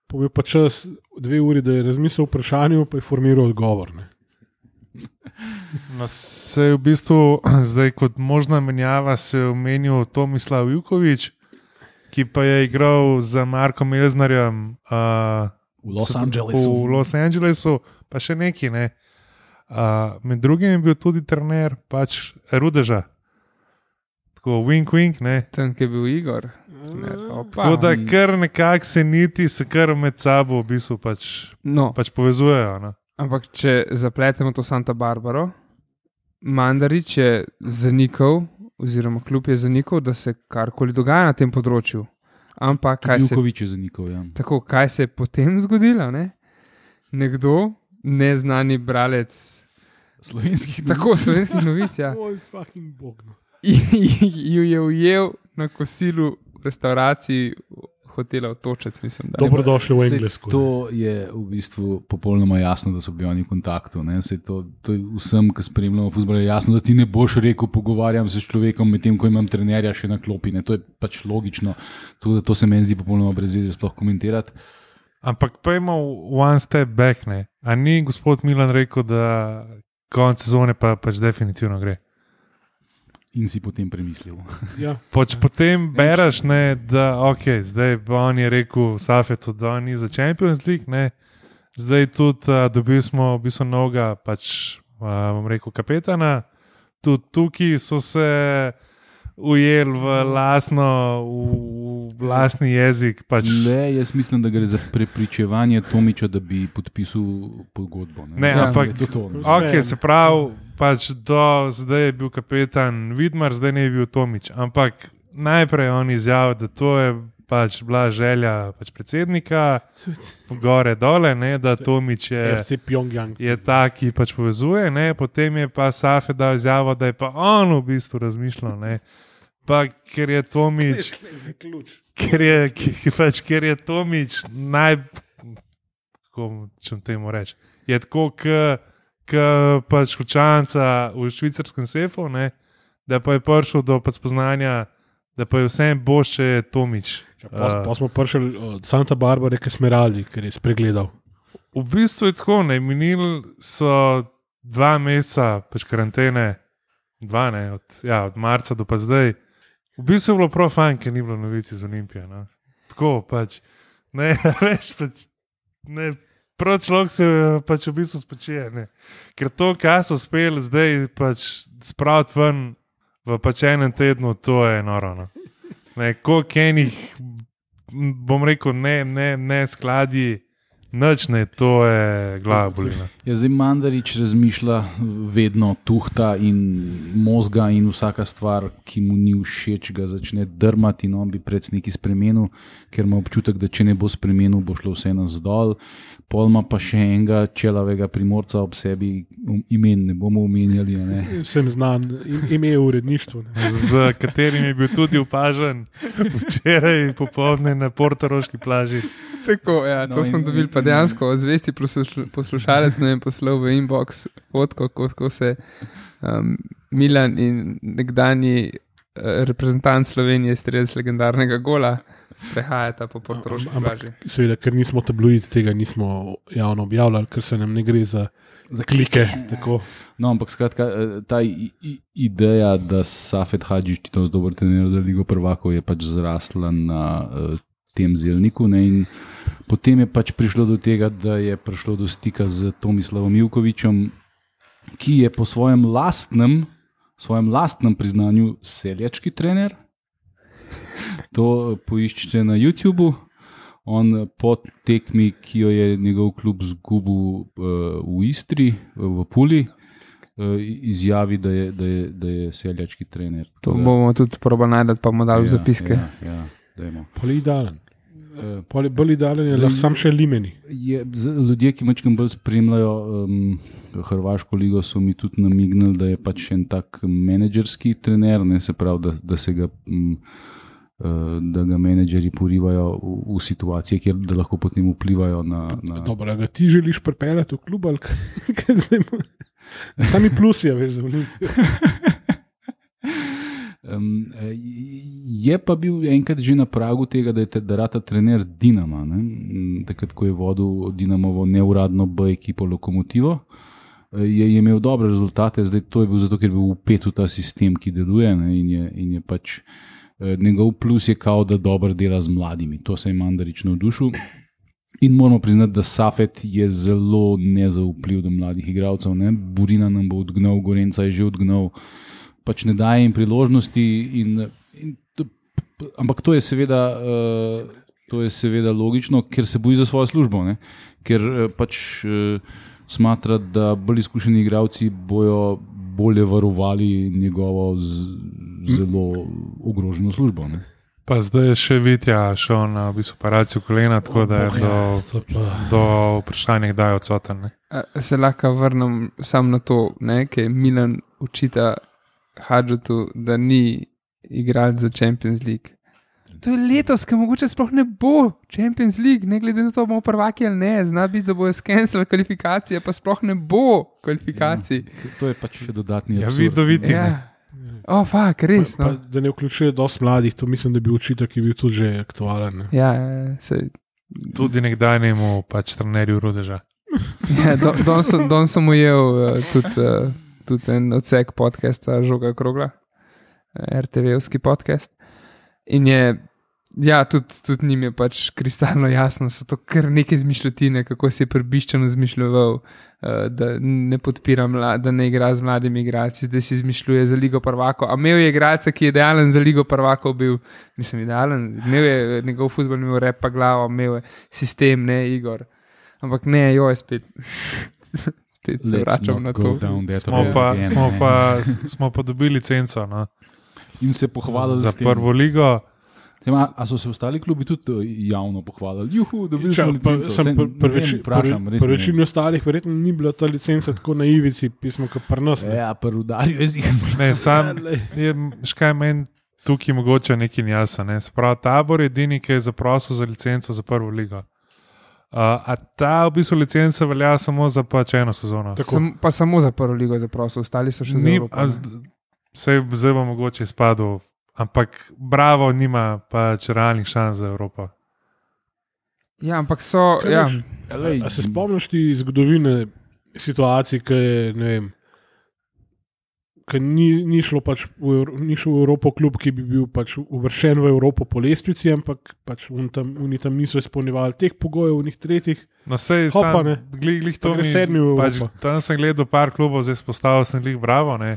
pa je pa čas dve uri, da je razmislil o vprašanju, pa je formiral odgovor. Ne. No, se je v bistvu zdaj kot možna menjava se je omenil Tomislav Jukovič, ki pa je igral za Markom Elznerjem uh, V Los se- Angelesu. V Los Angelesu, pa še neki. Ne. Uh, med drugim je bil tudi trener pač Rudeža. Tako wink, wink. Ne. Tam, kjer je bil Igor. Ne, pa opa. Tako da kar nekako se niti, se kar med sabo v bistvu pač, No, pač povezujejo. No. ampak če zapletemo to Santa Barbaro, Mandarič je zanikal, oziroma klub je zanikal, da se karkoli dogaja na tem področju. Ampak kaj se, Jukovič je zanikal, ja. tako, kaj se je potem zgodilo? Ne? Nekdo, neznani bralec Slovenskih tako slovenskih novic, ja, Oj, fucking bog. No. ju je ujel na kosilu v restavraciji hotela Otočec, mislim, da. Dobrodošli v Sej Englesku. To je v bistvu popolnoma jasno, da so bili oni v kontaktu. Ne? Sej to, to je vsem, ki spremljamo fuzbol, je jasno, da ti ne boš rekel, pogovarjam se s človekom, medtem ko imam trenerja še na klopi. Ne? To je pač logično. To, to se meni zdi popolnoma brez veze sploh komentirati. Ampak pojmo one step back, ne. A ni gospod Milan rekel, da konec sezone pa pač definitivno gre? In si potem premislil. Ja. Pač potem bereš, ne, da ok, zdaj on je rekel Safetu, da on ni za Champions League, ne. Zdaj tudi uh, dobili smo v bistvu novega, pač uh, bom rekel kapetana, tudi tukaj so se ujeli v lastno, v, v lastni jezik. Pač. Le, jaz mislim, da gre za prepričevanje Tomiča, da bi podpisal pogodbo. Ne, Ne, Mislim, ampak- da je to to. Ok, se pravi, pač do zdaj je bil kapetan Vidmar, zdaj ne je bil Tomič. Ampak najprej on izjavil, da to je pač bila želja pač predsednika, gore dole, ne, da Tomič je. R C Pyongyang. Je ta, ki pač povezuje, ne? Potem je pa Safet dal izjavo, da je pa on v bistvu razmišljal. Ne? Pa ker je Tomič, ker je, ki, pač, ker je Tomič naj, kako če temu reči, je tako, kot pač Hočanca v švicarskem sefu, ne? Da pa je prišel do pač spoznanja, da pa je vsem boš, če je Tomič. Pa, pa smo prišli od Santa Barbare k Smeraldi, ker je spregledal. V bistvu je tako, ne, minili so dva meseca pač karantene, dva ne, od, ja, od marca do pa zdaj. V bistvu je bilo prav fajn, ker ni bilo novici z Olimpije. No. Tako pač, ne, veš, pač, ne, prav človek se pač v bistvu spočije, ne. Ker to, kaj so uspeli zdaj pač spraviti ven v pač enem tednu, to je noro. No. Ne, koliko enih, bom rekel, ne, ne, ne skladi, nič ne, to je glava bolina. Ja, zdaj Mandarič razmišlja vedno tuhta in možga in vsaka stvar, ki mu ni všeč, ga začne drmati in on bi pred neki spremenil, ker ima občutek, da če ne bo spremenil, bo šlo vse nazdol. Pol ima pa še enega čelavega primorca ob sebi, imen ne bomo omenjali. Ne? Vsem znan, ime je uredništvo. Ne. Z katerim je bil tudi opažen včeraj popoldne na portoroški plaži. Tako, ja, to No, no, smo in- dobili pa in- dejansko zvesti posluš- poslušalec, ne vem, poslal v inbox fotko, kako se um, Milan in nekdanji uh, reprezentant Slovenije strelec legendarnega gola sprehajata po portoroški Ampak, plaži. seveda, ker nismo tabloid, tega nismo javno objavljali, ker se nam ne gre za, za klike. Tako. No, ampak skratka, eh, ta i- i- ideja, da Safet Hadžić ti to dober trener za Ligo prvakov je pač zrasla na uh, tem zelniku. Ne, in potem je pač prišlo do tega, da je prišlo do stika z Tomislavom Ivkovičem, ki je po svojem lastnem, svojem lastnem priznanju seljački trener. To poiščite na YouTubu. On po tekmi, ki jo je njegov klub zgubil uh, v Istri, v Puli, uh, izjavi, da je, da je, da je seljački trener. To Tako da- bomo tudi probali najti, pa bomo dali v zapiske. Ja, ja, dajmo. Pol je idealen. Uh, Pol je bolj idealen, je Zdaj- lahko sam še limeni. je, z, ljudje, ki mačkam bolj spremljajo um, Hrvaško ligo, so mi tudi namignili, da je pač en tak menedžerski trener, ne, se pravi, da, da se ga. Um, da ga menedžeri porivajo v, v situacije, kjer da lahko potem vplivajo na. na... Dobro, a ga ti želiš pripeljati v klub ali kaj? Kaj zdaj mo- Sami plusi, a veš, za Olimpijo. Um, je pa bil enkrat že na pragu tega, da je te- da rata trener Dinama, ne? Mm, takrat, ko je vodil Dinamovo neuradno B ekipo Lokomotivo, je, je imel dobre rezultate, zdaj to je bil zato, ker je bil vpet v ta sistem, ki deluje, ne? In je, in je pač eh, njegov plus je kao, da dobro dela z mladimi. To se je Mandarič navdušil. In moramo priznati, da Safet je zelo nezaupljiv do mladih igralcev. Ne? Burina nam bo odgnal, Gorenca je že odgnal, pač ne daje jim priložnosti. In, in to, ampak to je, seveda, uh, to je seveda logično, ker se boji za svojo službo. Ne? Ker uh, pač uh, smatra, da bolj izkušeni igralci bojo bolje varovali njegovo z, zelo ogroženo službo. Ne? Pa zdaj je še Vitja šel na v bistvu operacijo kolena, tako da je do, do vprašanja, kdaj je odsoten. Ne? Se lahko vrnem sam na to, ker Milan učita Hadžotu, da ni igral za Champions League. To je letos, ki mogoče sploh ne bo Champions League, ne glede na to, bomo prvaki ali ne. Zna biti, da bojo skenslali kvalifikacije, pa sploh ne bo kvalifikacij. Ja, to je pač še dodatni ja, absurd. Vidoviti. Ja. O, oh, fak, res. Pa, No. pa, da ne vključuje dosti mladih, to mislim, da bi učitek, ki je bil tudi že aktualen. Ne? Ja, sej, Tudi nekdaj nemu pač trenerju Rudeža. ja, do, don, sem, don sem ujel uh, tudi, uh, tudi en odsek podcasta Žoga Krogla, uh, er te ve-ovski podcast. In je, ja, tudi, tudi njim je pač kristalno jasno, so to kar neke izmišljotine, kako si je prebiščeno izmišljoval, uh, da ne podpira, mla, da ne igra z mladimi igralci, da si izmišljuje za Ligo prvakov. A imel je igralca, ki je idealen za Ligo prvakov bil, mislim, idealen, imel je njegov fuzbol, imel rep pa glavo, imel je sistem, ne Igor. Ampak ne, joj, spet, spet se vračam na to. Smo pa, smo, pa, smo pa dobili licenco no? In se pohvalili za s tem. prvo ligo. Tema, a so se ostali klubi tudi javno pohvalili? Juhu, dobili Ja, smo pa, licenco. sem Saj pri ne pri vem, veči- vprašam, pri- res pri ne večini ostalih verjetno ni bila ta licenca tako na ivici, pismo kot pri nas. vem. ne. Ja, pri udarju je zigar. Ne, sam Ja, lej. je, škaj meni tukaj mogoče nekaj jasno. Ne? Se pravi, Tabor je edini, ki je zaprosil za licenco za prvo ligo. Uh, a ta v bistvu licenca velja samo za pač eno sezono. Sam, pa samo za prvo ligo zaprosil, ostali so še za Ni, Evropo. a ne. zd- Sej zdaj bo mogoče izpadel, ampak Bravo nima pač realnih šans za Evropo. Ja, ampak so, Kaj ja, veš? A se spomniš ti zgodovine situacij, ki je, ne vem, ki ni, ni šlo pač v, Evro- ni šel v Evropo klub, ki bi bil pač uvrščen v Evropo po lestvici, ampak pač oni tam, oni tam niso izpolnjevali teh pogojev, unih tretjih. No, sej, Hopa, sam, ne. glih, glih to Pa gre mi, sedmi v pač, Evropo. tam sem gledal par klubov, zdaj spostavil sem glih Bravo, ne.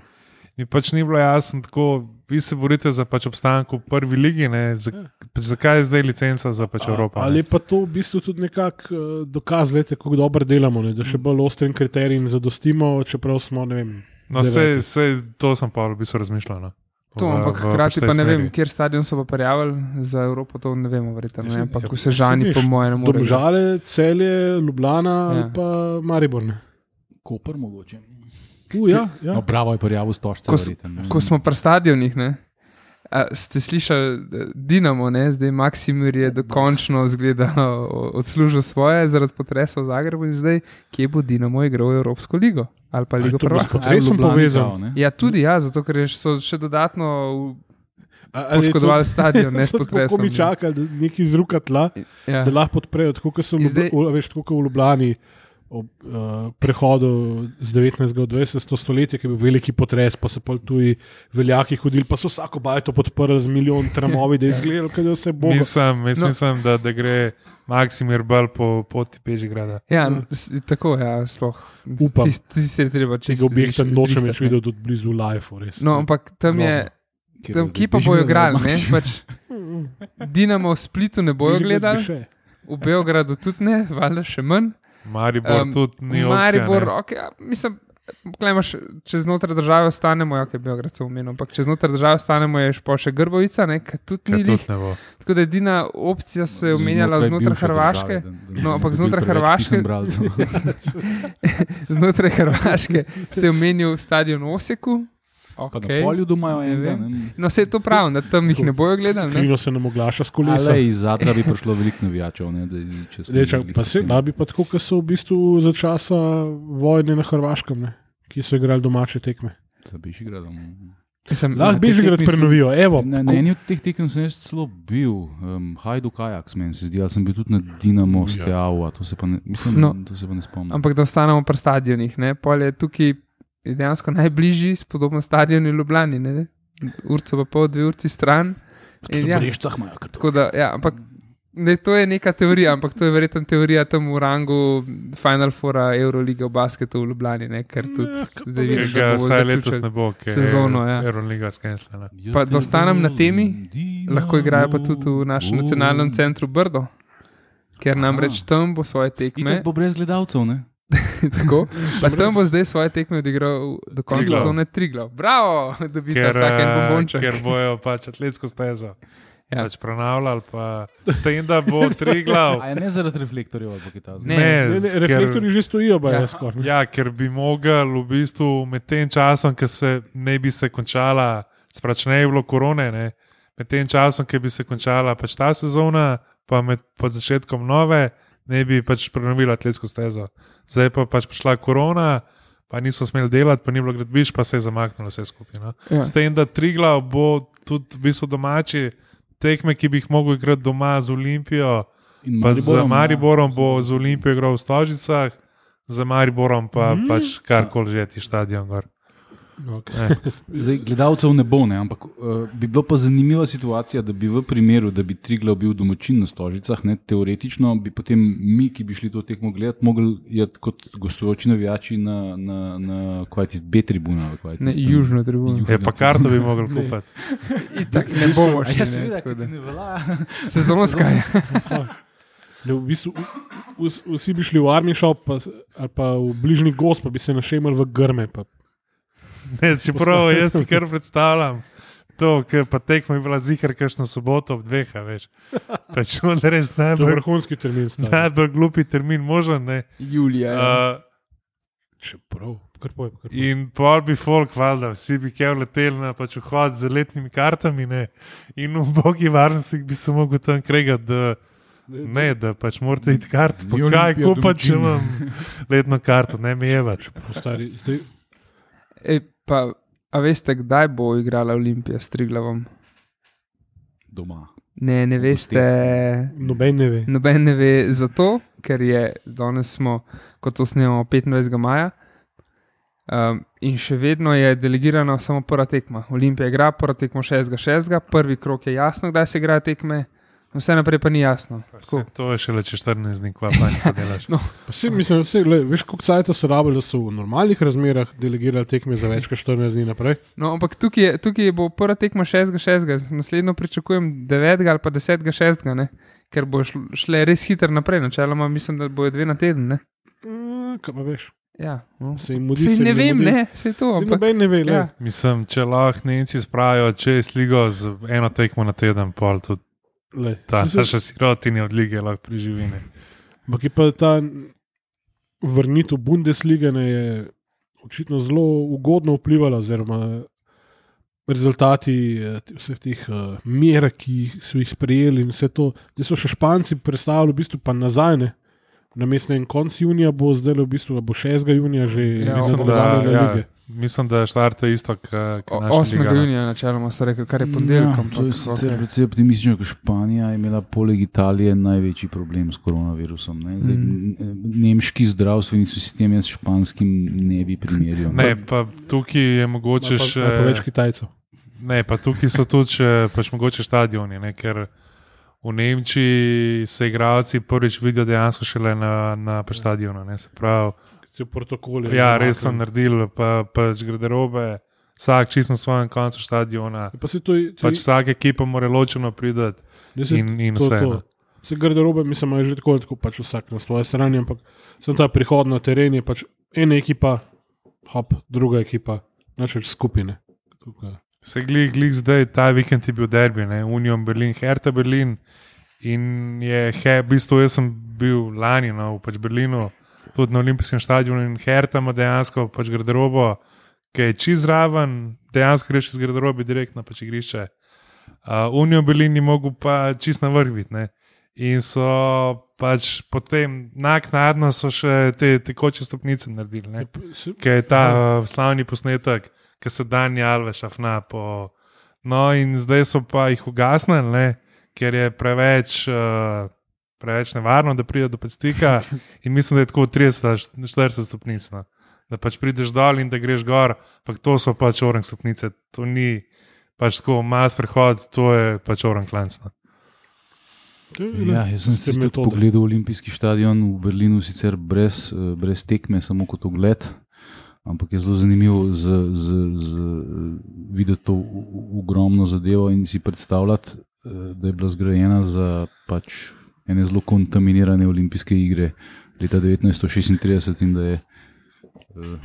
Mi pač ni bilo jasno tako, vi se borite za pač obstanek v prvi ligi, ne, za, pač zakaj je zdaj licenca za pač Evropo? Ali ne? je pa to v bistvu tudi nekak uh, dokaz, lete, kako dobro delamo, ne? Da še bolj ostrim kriterijem zadostimo, čeprav smo, ne vem. No, sej, deveti. sej, to sem pa v bistvu razmišljal. No. to, V- ampak v hkrati tej pa ne vem, smeri. kjer stadion so pa prijavili za Evropo, to ne vemo, verjetno. Ne? Ja, Ampak ja, v Sežani, saj po veš, mojem, ne more. igrati. Domžale, Celje, Ljubljana Ja. ali pa Maribor. Ne? Koper mogoče. Uh, ja, ja. No, bravo je prijavil stožce. Ko s- Ko smo pri stadionih, ne, a, ste slišali eh, Dinamo, ne, zdaj Maksimir je dokončno zgleda odslužil svoje zaradi potresa v Zagrebu in zdaj, kje bo Dinamo igral Evropsko ligo ali pa Ligo to bo s prvakov. potresom povezan. Ja, tudi ja, zato ker je- so še dodatno A- ali je to- poškodovali stadion, ne s so tako, potresom. Ko mi čakali, da neki zruka tla, Ja. da lahko podprejo, tako kot so v In zdaj- Ljubl- v- veš, tako kot v Ljubljani ob uh, prehodu z devetnajstega v dvajseto stoletje, ki je bil veliki potres, pa so pol tuji veljaki hodili, pa so vsako bajto podprli z milijon tramovi, da je izgledalo, da je vse bo. Mislim, jaz No. no. mislim da, da gre Maksimir bolj po poti Bežigrada. Ja, s- tako, ja, sploh. Upam. Tisti tis se je treba čez Tega objekta nočem več ne. videti tudi blizu live. Res. No, ampak tam je, tam, kje pa bojo igrali, ne? Pač Dinamo v Splitu ne bojo gledali, v Beogradu tudi ne, valjda še manj. Maribor Um, um, tudi ni Maribor, opcija. okay, ja, mislim, klemaš, če znotraj države ostanemo, ja, kaj Beograd so omenil, ampak če znotraj države ostanemo, je pa še Grbovica, ne, ki tudi ni Ne, lih. tudi ne bo. Tako da edina opcija se je omenjala znotraj Hrvaške. No, ampak znotraj Hrvaške- Znotraj Hrvaške se je omenil stadion v Osijeku. Pa na Okay. polju doma je Ne enega. vem. ne. No, vse je to prav, da tam jih ne bojo gledali. Ne? Krino se nam oglaša s kolesa. Ale iz Zadra bi prišlo veliko navijačev. Ne, da, če smo Rečem, bili pa se, da bi pa tako, kot so v bistvu za časa vojne na Hrvaškem, ne? Ki so igrali domače tekme. Za Bežigradom. Mislim, Lahko te Bežigrad tekme so- prenovijo, evo. Na, na eni od teh tekem sem jaz celo bil, um, Hajduk Ajax, meni se zdi, ali sem bil tudi na Dinamo Ja. Steaua, to se pa ne, mislim, No. to se pa ne spomnim. ampak da ostanemo pri stadionih. Ne? Pol je tukaj dejansko najbližji, spodobno stadion v Ljubljani. Ne? Urco pa pol, dve urci stran. In ja, Brešcah imajo kar tako da, ja, ampak ne, to je neka teorija, ampak to je verjetno teorija tam v rangu Final Foura Euroliga v basketu v Ljubljani, ne? Ker tudi Ja, kaj pa zdaj veš. vidim, Ker ga da bo vsaj letos zaključek ne bo, ker sezono, ja. je Euroliga skenslena. Pa da ostanem na temi, lahko igrajo pa tudi v našem nacionalnem centru Brdo, ker namreč tam bo svoje tekme. Itak bo brez gledalcev, ne? Tako, pa tam bo zdaj svoje tekme odigral do konca Triglav. sezone Triglav. Bravo, da bi Ker, tam vsak en eh, bombonček. ker bojo pač atletsko stezo Ja. pač pronavljali, pa s tem, da bo Triglav. A je ne zaradi reflektorjev ali kaj takega? Ne. Ne, ne, reflektorji že stojijo, pa Ja. je skoraj. Ja, ker bi mogel v bistvu med tem časom, ki se ne bi se končala, sprač ne bi bilo korone, ne, med tem časom, ki bi se končala pač ta sezona, pa med pod začetkom nove, ne bi pač prenovili atletsko stezo. Zdaj pa pač prišla korona, pa niso smeli delati, pa ni bilo gradbišč, pa se je zamaknilo vse skupaj. No. Ja. S tem, da Triglav bo tudi v bistvu domači tekme, ki bi jih mogel igrati doma z Olimpijo, In pa z Mariborom, Mariborom ja. bo z Olimpijo igral v Stožicah, za Mariborom pa Mhm. mm. pač karkoli že ti stadion gor. Okay. Zdaj, gledalcev ne bo, ne, ampak uh, bi bilo pa zanimiva situacija, da bi v primeru, da bi Triglav bil domačin na Stožicah, ne, teoretično bi potem mi, ki bi šli to tekmo gledati, mogli iti kot gostujoči navijači na, na, na kaj tisti B tribuna. ali kaj je Ne, tisto tam? južno tribuno. Je pa karto bi mogli kupiti. Itak ne bomo A šli. ja, ne, seveda, tako ker da. ti ne velja. Sezonska je. Ne, v bistvu, v- vs- vsi bi šli v army shop pa, s- ali pa v bližnji gost, pa bi se našemali v grme. Pa. Ne, čeprav jaz si kar predstavljam. To, ker pa tekma je bila zihar, kakšno soboto ob dveh, a veš. Pač on res To je najbolj, vrhunski termin. stari. najbolj glupi termin možen. Ne. Julija. ja. Uh, Čeprav, kar poj, kar poj. In pol bi folk, valjda, vsi bi kev leteli na pač vhod z letnimi kartami, ne? In v bogi varnosti bi se mogel tam kregati, da, ne, da pač morate iti kart, pa Ni kaj Olimpija kupati, če domačin. imam letno karto, ne mi jebati. Stari, zdaj, Ej, pa, a veste, kdaj bo igrala Olimpija s Triglavom? Doma. Ne, ne veste. noben ne ve. Noben ne ve zato, ker je danes smo, kot to snemamo, petindvajsetega maja. Um, in še vedno je delegirana samo prva tekma. Olimpija igra prva tekma šestega šestega, prvi krok je jasno, kdaj se igrajo tekme, vse naprej pa ni jasno. Tako. To je šele čez štirinajst dni, kva pa nekaj delaš. No. Pa se, mislim, se, le, veš, koliko cajta so rabili, da so v normalnih razmerah delegirali tekme za več kot štirinajst dni naprej. No, ampak tukaj, je, tukaj bo prva tekma šestega šestega, naslednjo pričakujem devetega ali pa desetega šestega, ne? Ker bo šl- šle res hitro naprej. Načeloma mislim, da bojo dve na teden. Ne? Mm, kaj pa veš? Ja, no. Se jim mudi, Sej se jim ne vem, mudi. ne, se to. Saj Ampak, noben ne ve, le. ja. Mislim, če lahko Nemci spravijo čez ligo z eno tekmo na teden, pol tudi Le. ta Saj se- naša sirotini od lige lahko preživi. ne. Ampak je pa ta vrnitev Bundeslige ne, je očitno zelo ugodno vplivala, oziroma rezultati eh, t- vseh teh uh, mer, ki jih so jih sprejeli in vse to. Zdaj so še Španci predstavili v bistvu pa nazaj. Ne. Na mestu en konc junija bo zdaj v bistvu, da bo šestega junija že Ja, Mislim, da, nadaljevanje ja, lige. mislim, da štarte isto, kot O- naša osmega liga. no. junija načeloma so rekli, kar je ponedeljek. Ja, ampak, to je sicer okej. precej optimistično, ker Španija je imela poleg Italije največji problem s koronavirusom. Ne? Zdaj, Mm. mm. Nemški zdravstveni sistem jaz s španskim ne bi primerjal. Ne, pa tukaj je mogoče Ali pa, še. ali pa več Kitajcev. Ne, pa tukaj so tudi še, pač mogoče stadioni, ne, ker v Nemčiji se igralci prvič vidijo dejansko šele na, na pač stadionu. Ne, se pravi, Se v protokoli. ja, res so naredili, pa pač garderobe, vsak čisto na svojem koncu stadiona. Pa se to, to, Pač vsaka ekipa mora ločeno priti in, in vse. no. Se garderobe, mislim, da je že tako, ali tako pač vsak na svoje strani, ampak sem ta prihod na teren je pač ena ekipa, hop, druga ekipa, načel skupine. Tukaj. Se glih, glih zdaj, ta vikend je bil derbi, ne? Union Berlin, Hertha Berlin. In je, he, v bistvu, jaz sem bil lani no, v pač Berlinu, tudi na olimpijskem stadionu in Hertha ima dejansko pač garderobo, ki je čez raven, dejansko greš iz garderobe direkt na pač igrišče. Uh, Union Berlin ni mogel pa čist na vrh biti. ne. In so pač potem naknadno so še te tekoče stopnice naredili. Ne? Se- Ker je ta uh, slavni posnetek, ki se Dani Alves šafna po. No, in zdaj so pa jih ugasnili, ne, ker je preveč, uh, preveč nevarno, da pride do stika. In mislim, da je tako trideset ali štirideset stopnic. No. Da pač prideš dol in da greš gor, ampak to so pač orang stopnice. To ni pač tako mas prehod, to je pač orang klanc. No. To je, Ja, jaz sem tiste si tudi metode. pogledal olimpijski stadion v Berlinu, sicer brez, eh, brez tekme, samo kot ogled, ampak je zelo zanimivo z, z, z, videti to u- u- ogromno zadevo in si predstavljati, eh, da je bila zgrajena za pač ene zelo kontaminirane olimpijske igre. leta devetnajststo šestintrideset in da je uh,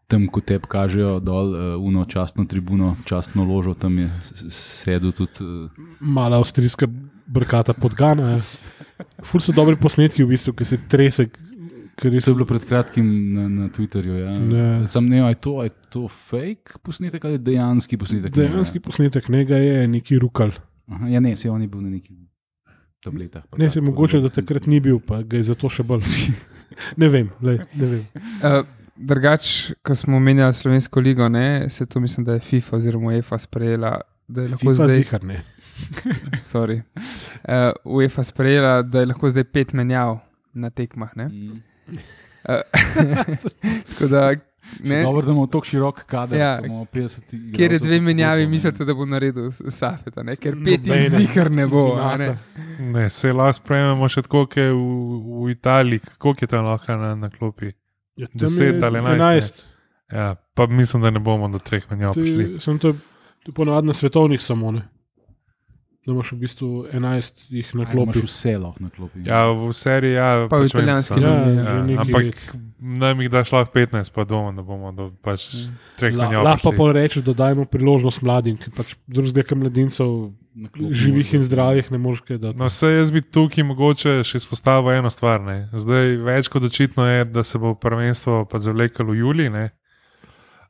tam, ko tebi kažejo dol uh, uno častno tribuno, častno ložo, tam je sedel tudi. Uh, Mala avstrijska brkata podgana. Ful so dobri posnetki, v bistvu, ki se trese. To je bilo pred kratkim na, na Twitterju. Ja. Ne. Sam ne vem, je to, je to fake posnetek ali dejanski posnetek? Dejanski ne, posnetek, njega je neki rukal. Aha, ja, ne, se on je bil na nekih tabletah. Ne, se mogoče, da takrat ni bil, pa ga je zato še bolj. ne vem, lej, ne vem. Uh, drugač, ko smo omenjali Slovensko ligo, ne, se to mislim, da je FIFA oziroma UEFA sprejela, da je lahko FIFA zdaj... zihar, ne. Sorry. Uh, UEFA sprejela, da je lahko zdaj pet menjav na tekmah, ne? Mm. Tako da, ne. Dobro, da imamo tako širok kader, ja, da imamo petdeset igralcev. Kjer je dve menjavi, mislite, da bo naredil Safeta, ne? Ker pet jih zihar ne bo. Ne, ne se lahko sprejmemo še tako, kot je v, v Italiji, koliko je tam lahko na, na klopi? Ja, deset ali enajst. Ja, pa mislim, da ne bomo do treh menjav prišli. Sem to, to ponovadi na svetovnih samo, ne? Da imaš v bistvu enajst jih na klopi. Imaš vse lahko na klopi. Ja, v seriji, ja. Pa v italijanski. Ja, ja, ampak nam jih daš lahko petnajst, pa doma, da bomo do pač treh menjav prišli. Lahko pa pol reči, da dajmo priložnost mladim, ki pač drugega mladincev živih in zdravih ne moreš kaj dati. No, se jaz bi tukaj mogoče še izpostavil eno stvar. Ne. Zdaj več kot očitno je, da se bo prvenstvo pa zavlekalo v julij. Ne.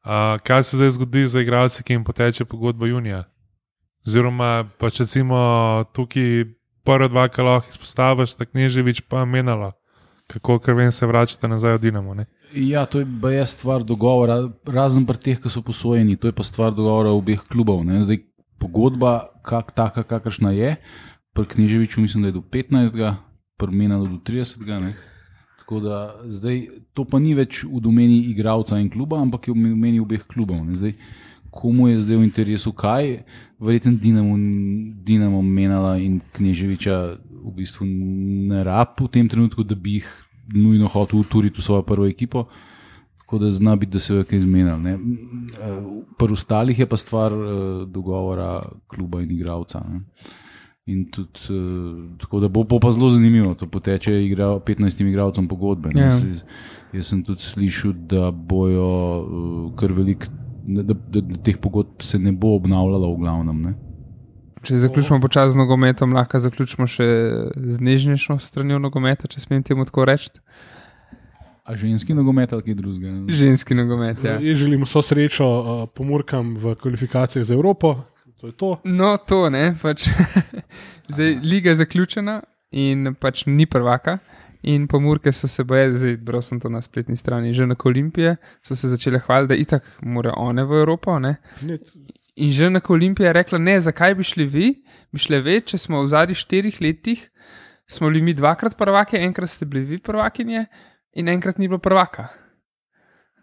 A, kaj se zdaj zgodi za igralce, ki jim poteče pogodba junija? Oziroma, pač recimo tukaj prva dva, ki lahko izpostaviš, tak Knežević pa menalo, kako krven se vračata nazaj od Dinamo. Ne? Ja, to je pa je stvar dogovora, razen pri teh, ki so posojeni, to je pa stvar dogovora obeh klubov. Ne? Zdaj, pogodba, kak, taka, kakršna je, pri Kneževiću mislim, da je do petnajstega, pri menalo do tridesetega. Ne? Tako da zdaj, to pa ni več v domeni igralca in kluba, ampak je v domeni obeh klubov. Ne? Zdaj, komu je zdaj v interesu kaj, verjetno Dinamo, Dinamo menala in Kneževića v bistvu ne rab v tem trenutku, da bi jih nujno hotel uturiti v svojo prvo ekipo, tako da zna biti, da se je kaj izmenil. Pri ostalih je pa stvar uh, dogovora kluba in igralca. Ne? In tudi, uh, tako da bo, bo pa zelo zanimivo, to poteče igra, petnajstim igralcem pogodbe. Ja. Jaz, jaz sem tudi slišal, da bojo uh, kar velik Da, da, da, da teh pogodb se ne bo obnavljalo v glavnem. Ne? Če zaključimo počasi z nogometom, lahko zaključimo še z nežnejšo stranjo nogometa, če smem temu tako reči. A ženski nogomet ali kaj drugega? Ženski nogomet, ja. Jaz želim vso srečo uh, Pomurkam v kvalifikacijah za Evropo. To je to. No, to ne. Pač. Zdaj, liga je zaključena in pač ni prvaka. In Pomurke so se boje, zdaj bral sem to na spletni strani, že na Olimpije, so se začele hvaliti, da itak morajo one v Evropo. Ne? In že na Olimpije je rekla, ne, zakaj bi šli vi, bi šli ve, če smo v zadnjih štirih letih, smo bili mi dvakrat prvake, enkrat ste bili vi prvakinje in enkrat ni bilo prvaka.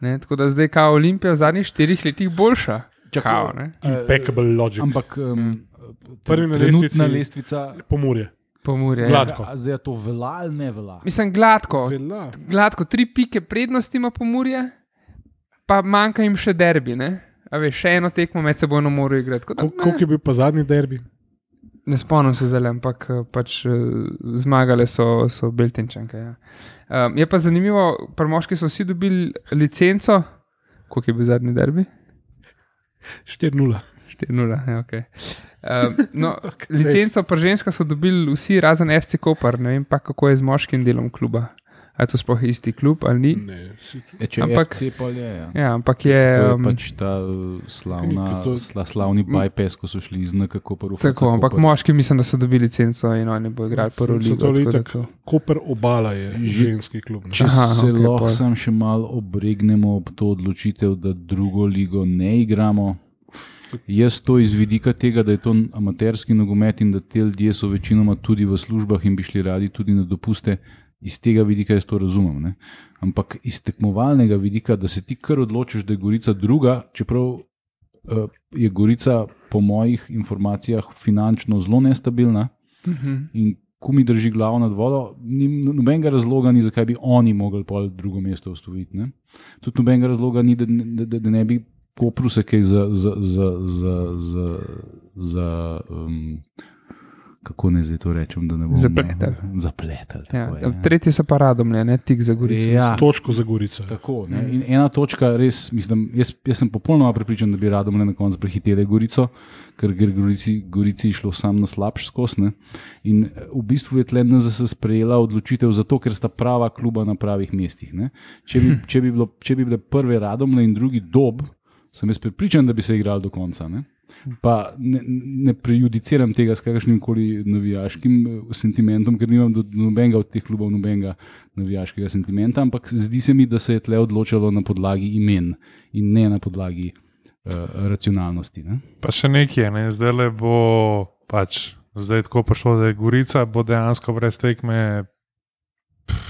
Ne? Tako da zdaj kao Olimpija v zadnjih štirih letih boljša. Kao, ne? Impeccable logic. Ampak um, prvi na trenutna lestvici lestvica Pomurje. Pomurje. Gladko. A zdaj je to vela ali ne vela? Mislim, gladko. Vela. Gladko, tri pike prednosti ima Pomurje, pa manjka jim še derbi, ne? A veš, še eno tekmo med sebojno morajo igrati. Koliko je bil pa zadnji derbi? Ne spomnim se zdaj, ampak pač zmagale so, so Beltinčanke. Ja. Um, je pa zanimivo, pri moški so vsi dobili licenco. Koliko je bil zadnji derbi? štiri nula. štiri nula, ja, ok. Um, no, licenco pri ženskah so dobili vsi, razen F C Koper. Ne vem pa, kako je z moškim delom kluba. A je to sploh isti klub ali ni? Ne, e, če ampak, F C pa je, ja. Ja, ampak je... To je um, pač ta slavna, to, sla, slavni bypass, ko so šli iz N K Koper v F C Tako, ampak Koper. Moški mislim, da so dobili licenco in oni bo igrali prvo ligo. To Koper Obala je ženski klub. Ne? Če Aha, se okay, lahko pol. sam še malo obregnemo ob to odločitev, da drugo ligo ne igramo. Jaz to iz vidika tega, da je to amaterski nogomet in da te ljudje so večinoma tudi v službah in bi šli radi tudi na dopuste, iz tega vidika jaz to razumem. Ne? Ampak iz tekmovalnega vidika, da se ti kar odločiš, da je Gorica druga, čeprav uh, je Gorica po mojih informacijah finančno zelo nestabilna Uh-huh. in ko mi drži glavo nad vodo, ni nobenega razloga ni, zakaj bi oni mogli pol drugo mesto osvojiti. Ne? Tudi nobenega razloga ni, da, da, da, da ne bi Kopru se kaj za, za, za, za, za, za um, kako ne zdaj to rečem, da ne bom Zapletel. Zapletel. Ja, tako je, tretji so pa Radomlje, ne tik za Gorico. Ja. Točko za Gorico. Tako, ne. In ena točka, res, mislim, jaz, jaz sem popolnoma prepričan, da bi Radomlje na koncu prehiteli Gorico, ker gre Gorici, Gorici išlo sam na slabš skos. Ne. In v bistvu je tle N Z S sprejela odločitev zato, ker sta prava kluba na pravih mestih. Ne. Če bi, če bi, bilo, če bi bile prve Radomlje in drugi Dob, sem jaz prepričan, da bi se igrali do konca. Ne. Pa ne, ne prejudiciram tega s kakršnim koli navijaškim sentimentom, ker nimam do nobenega od teh klubov nobenega navijaškega sentimenta, ampak zdi se mi, da se je tle odločalo na podlagi imen in ne na podlagi uh, racionalnosti. Ne? Pa še nekaj, ne? Zdaj le bo pač, zdaj tako prišlo, da je Gorica, bo dejansko brez tekme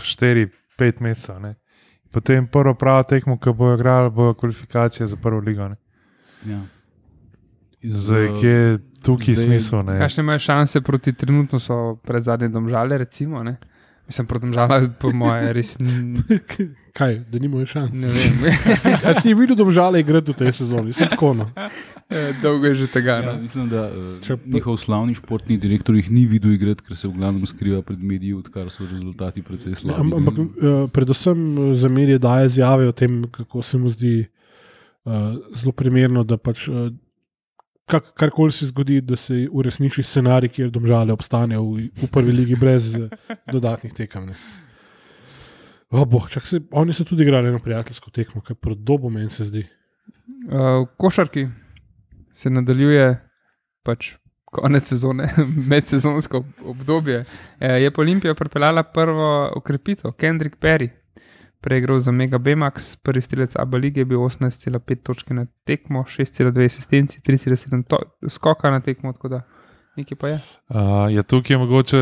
štiri pet mesecev. Ne? Potem prvo pravo tekmo, ko bojo igrali, bojo kvalifikacije za prvo ligo. Ne? Ja. Zdaj, kje je tukaj smisel? Kakšne imajo šanse proti trenutno so pred zadnje Domžale, recimo, ne? Mislim, proti Domžale, po moje, res ni... Kaj, da nimajo šans? Ne vem. A si videl Domžale igrati v tej sezoni? Sem tako, no. Dolgo je že tega, Ja, no. mislim, da uh, njihov slavni športni direktor jih ni videl igrati, ker se v glavnem skriva pred mediji, odkar so rezultati precej slabi. Am- Ampak uh, predvsem uh, za medije daje izjave o tem, kako se mu zdi uh, zelo primerno, da pač uh, kak, karkoli se zgodi, da se uresniči scenarij, kjer Domžale obstanejo v, v prvi ligi brez uh, dodatnih tekem. Ne. O, boh, čak se, oni so tudi igrali na prijateljsko tekmo, kaj proti Dobu meni se zdi. Uh, v košarki se nadaljuje pač konec sezone, medsezonsko obdobje. E, je pa Olimpija pripeljala prvo okrepitev, Kendrick Perry. Prej igral za Mega B-Max, prvi strelec A B lige je bil osemnajst cela pet točke na tekmo, šest cela dve asistenci, tri cela sedem to- skoka na tekmo, tako da nekaj pa je. Uh, ja, tukaj je mogoče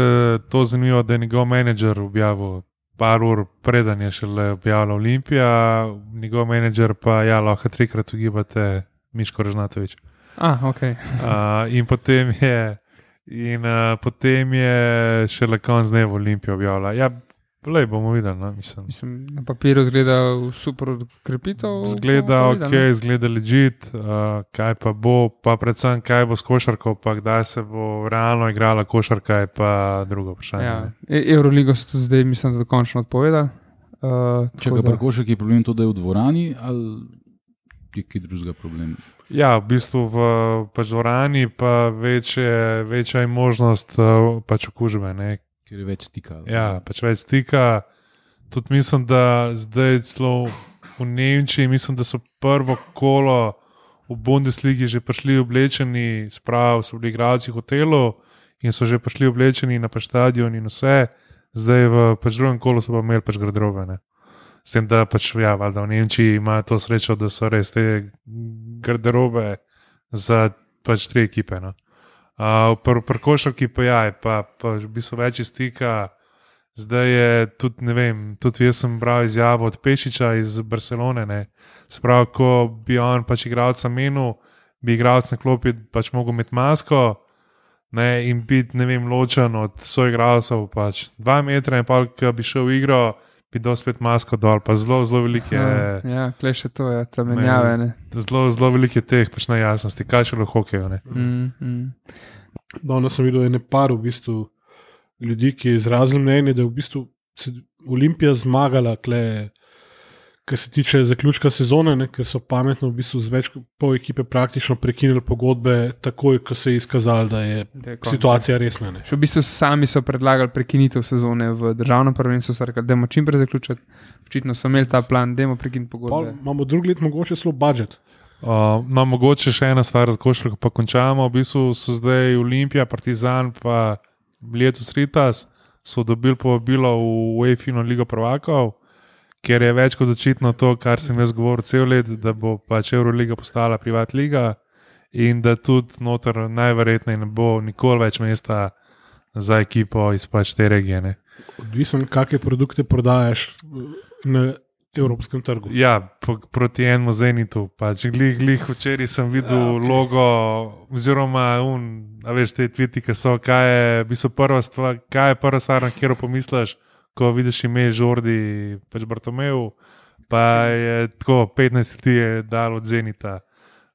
to zanimivo, da je njegov menedžer objavil par ur preden je šele objavila Olimpija, njegov menedžer pa ja, lahko trikrat ugibate Miško Režnatovič. Ah, ok. Uh, in potem je, in, uh, potem je šele konc dneva Olimpija objavila. Ja, lej, bomo videli, no, mislim. Mislim, na papiru zgleda super krepitev. Zgleda bomo ok, videli, zgleda legit, uh, kaj pa bo, pa predvsem kaj bo s košarko, pa kdaj se bo realno igrala košarka, je pa drugo no. vprašanje. Ja. ne. E- Euroligo so tudi zdaj, mislim, da dokončno odpovedali. Uh, Če ga prekošek je problem to, da je v dvorani, ali je kaj drugega problem? Ja, v bistvu v pač dvorani pa večje, večja je možnost uh, pač okužbe. Ne? Ker je več stika. Ja, pač več stika. Tudi mislim, da zdaj celo v Nemčiji, mislim, da so prvo kolo v Bundesligi že prišli oblečeni, sprav so bili igralci v hotelu in so že prišli oblečeni na pač stadion in vse. Zdaj v pač drugem kolu so pa imeli pač garderobe. Ne? S tem, da pač, ja, valjda v Nemčiji imajo to srečo, da so res te garderobe za pač tri ekipe. No. Uh, Pri pr košarki pa ja, je pa, pa v bistvu več stika. Zdaj je tudi, ne vem, tudi jaz sem bral izjavo od Pešiča iz Barcelone. Ne. Sprav, ko bi on pač igralca menil, bi igralec na klopi pač mogel imeti masko. Ne, in biti, ne vem, ločen od svojih igralcev, pač dva metra in pa, ki bi šel v igro, bi dal spet masko dol, pa zelo, zelo velike, Ja, ja klej še to je, ta menjave. Ne. zelo, zelo velike teh pač nejasnosti, kaj še lahko hokejo. Ne. Mm, mm. Danes sem videl ene par v bistvu ljudi, ki je izrazil mnenje, da je v bistvu se Olimpija zmagala, kle, kar se tiče zaključka sezone, ne, ker so pametno v bistvu z več kot pol ekipe praktično prekinili pogodbe, takoj, ko se je izkazalo, da je Da je konec. situacija resna. Ne. Še v bistvu sami so predlagali prekinitev sezone v državnem prvenstvu, so rekli, da bomo čim prej zaključiti. Očitno so imeli ta plan, da bomo prekiniti Pol pogodbe. imamo drugi let mogoče celo budžet. Uh, no, mogoče še ena stvar za košarko, pa končamo. V bistvu so zdaj Olimpija, Partizan, pa letos Ritas so dobili povabilo v UEFA Ligo prvakov, ker je več kot očitno to, kar sem jaz govoril cel let, da bo pač Euroliga postala privat liga in da tudi noter najverjetneje ne bo nikoli več mesta za ekipo iz pač te regije. Ne. Odvisen, kakšne produkte prodajaš na evropskem trgu. Ja, po, proti enemu Zenitu. Pač. Glih, glih, včeraj sem videl Ja, okej. logo, oziroma, un, a veš, te tviti, ki so, kaj je, v bistvu prva stvar, kaj je prva stvar, na katero pomisliš, ko vidiš ime Žordi, pač Bartomeju, pa je tako petnajst ljudi je dal od Zenita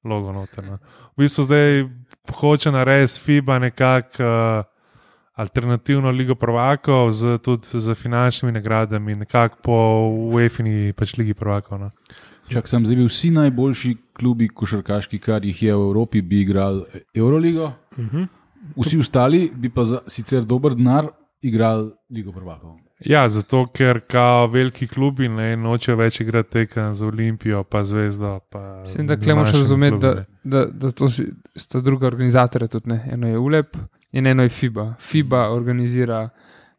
logo noter. No. V bistvu zdaj hoče narediti FIBA nekako uh, alternativno ligo prvakov z, tudi z finančnimi nagradami, nekako po UEFA-ni pač ligi prvakov. No. Čak sem zdaj bil vsi najboljši klubi košarkaški, kar jih je v Evropi, bi igrali Euroligo, Uh-huh. vsi ostali bi pa za sicer dober denar igrali ligo prvakov. Ja, zato ker kao veliki klubi ne nočejo več igrati tekem za Olimpijo, pa Zvezdo. Pa Mislim, da klemoš razumeti, da, da, da to si, sta druga organizatorja tudi. Ne. Eno je U L E P in eno je FIBA. FIBA organizira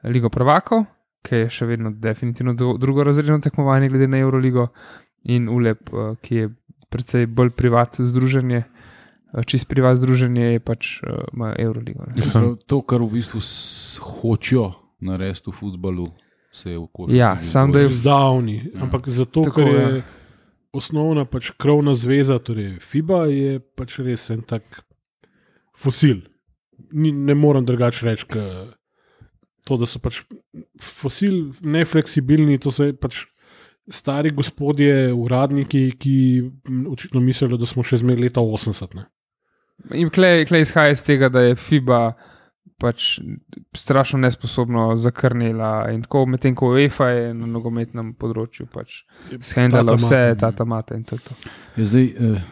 Ligo prvakov, ki je še vedno definitivno drugorazredno tekmovanje glede na Euroligo, in U L E P, ki je precej bolj privat združenje, čist privat združenje je pač uh, Euroligo. Mislim, to, kar v bistvu hočejo narediti v futbalu, se je v košarki. Ja, sam da je zdavni, ja. Ampak zato, Tako, ker je ja. osnovna pač krovna zveza, torej FIBA, je pač res en tak fosil. Ni, ne morem drugače reči, ka to, da so pač fosil, nefleksibilni, to so pač stari gospodje, uradniki, ki očitno mislijo, da smo še zmeraj leta osemdeset. Ne? In klej, klej izhaja iz tega, da je FIBA pač strašno nesposobno zakrnila in tako, medtem ko UEFA je na nogometnem področju pač shendala vse, tata mata in to. to. Je zdaj,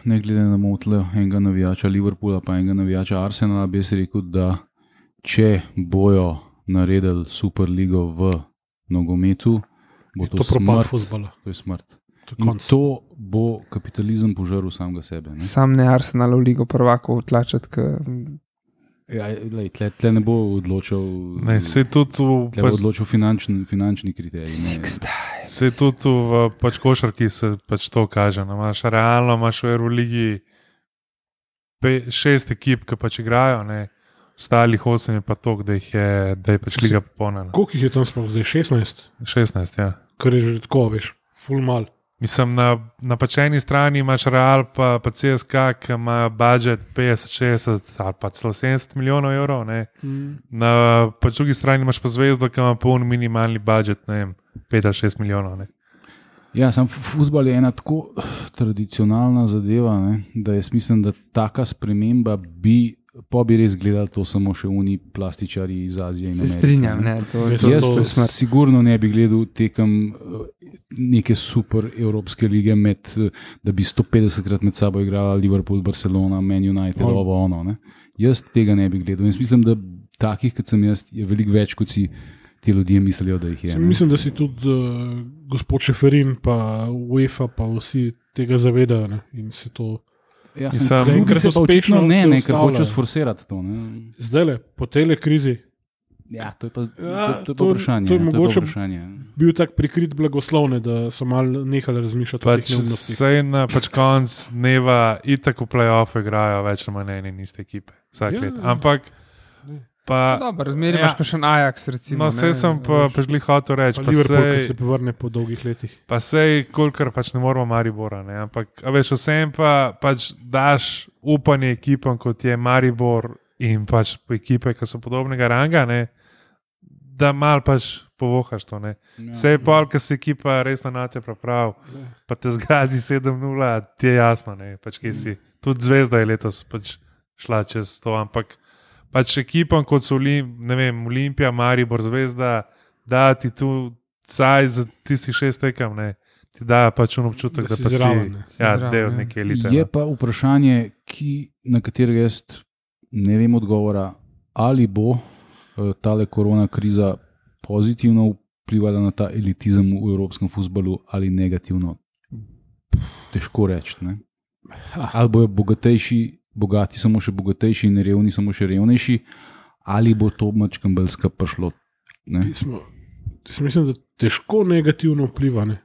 ne glede na motle enega navijača Liverpoola pa enega navijača Arsenala, bi se rekel, da če bojo naredili Superligo v nogometu, bo to, to propad futbola. To je smrt. To, in to bo kapitalizem požrl samega sebe. Ne? Sam ne Arsenal v Ligo prvakov tlačati, ker Ja, lej, tle, tle ne bo odločil, ne, se tudi v, tle bo odločil finančni, finančni kriterij. Se tudi v pač košarki se pač to kaže. No, imaš realno, imaš v Euroligi pe, šest ekip, ki pač igrajo, ne. Ostalih osem je pa to, da, da je pač liga popolna. Koliko jih je tam sploh zdaj? šestnajst? šestnajst, ja. Kar je že tako, veš, ful mal. Mislim, na, na pač eni strani imaš Real, pa, pa C S K, ki ima budžet petdeset, šestdeset ali pa celo sedemdeset milijonov evrov. Mm. Na pač drugi strani imaš pa Zvezdo, ki ima poln minimalni budžet, ne vem, pet ali šest milijonov. Ne. Ja, sam futbol je ena tako tradicionalna zadeva, ne, da jaz mislim, da taka sprememba bi, pa bi res gledali to samo še oni plastičari iz Azije in Amerike. Se strinjam, ne, to, ne. to, Jaz to, to sigurno ne bi gledal tekem neke super evropske lige, med, da bi sto petdesetkrat med sabo igrala Liverpool, Barcelona, Man United, oh. ovo ono. Ne. Jaz tega ne bi gledal. Jaz mislim, da takih, kot sem jaz, je veliko več, kot si ti ljudje mislijo, da jih je. Sem, mislim, da si tudi uh, gospod Šeferin, pa UEFA, pa vsi tega zavedajo. Ne. In se to... Ja, sem, ker se pa očitno ne, ne, ker hočejo sforsirati to. Ne. Zdaj le, po tele krizi. Ja, to je pa, ja, to, to je pa vprašanje. To je, to je mogoče vprašanje. Bil tak prikrit blagoslovne, da so malo nehali razmišljati pač o teh neumnostih. Sej na pač konc dneva itak v play-offu igrajo več ali manj ene in iste ekipe. Vsak ja, let. Ampak pa... Dobro, razmeri imaš ja, še Ajax, recimo. No, sej sem pa pač glih hotel reči. Pa Liverpool, ki se povrne po dolgih letih. Pa sej, kolikor pač ne moramo Maribora, ne. Ampak, a veš, vsem pa pač daš upanje ekipam, kot je Maribor in pač ekipe, ki so podobnega ranga, ne, da mal pač povohaš to. Ne. Ja, sej pol, ki se ekipa resno na te prav, ja. Pa te zgazi sedem nula, ti je jasno, ne, pač kje si. Tudi Zvezda je letos pač šla čez to, ampak pač ekipam, kot so ne vem, Olimpija, Maribor, Zvezda, da ti tu caj za tistih šest tekem, ne, ti dajo pač un občutek, da, da pa si, zraven, ne. Ja, del neke elite. Je pa vprašanje, ki, na katerega jaz ne vem odgovora, ali bo uh, tale korona kriza pozitivno vplivala na ta elitizem v evropskem futbalu ali negativno. Težko reči, ne. Ali bojo bogatejši bogati samo še bogatejši in revni samo še revnejši, ali bo to mačkam belska prišlo. Mislim, da težko negativno vpliva. Ne?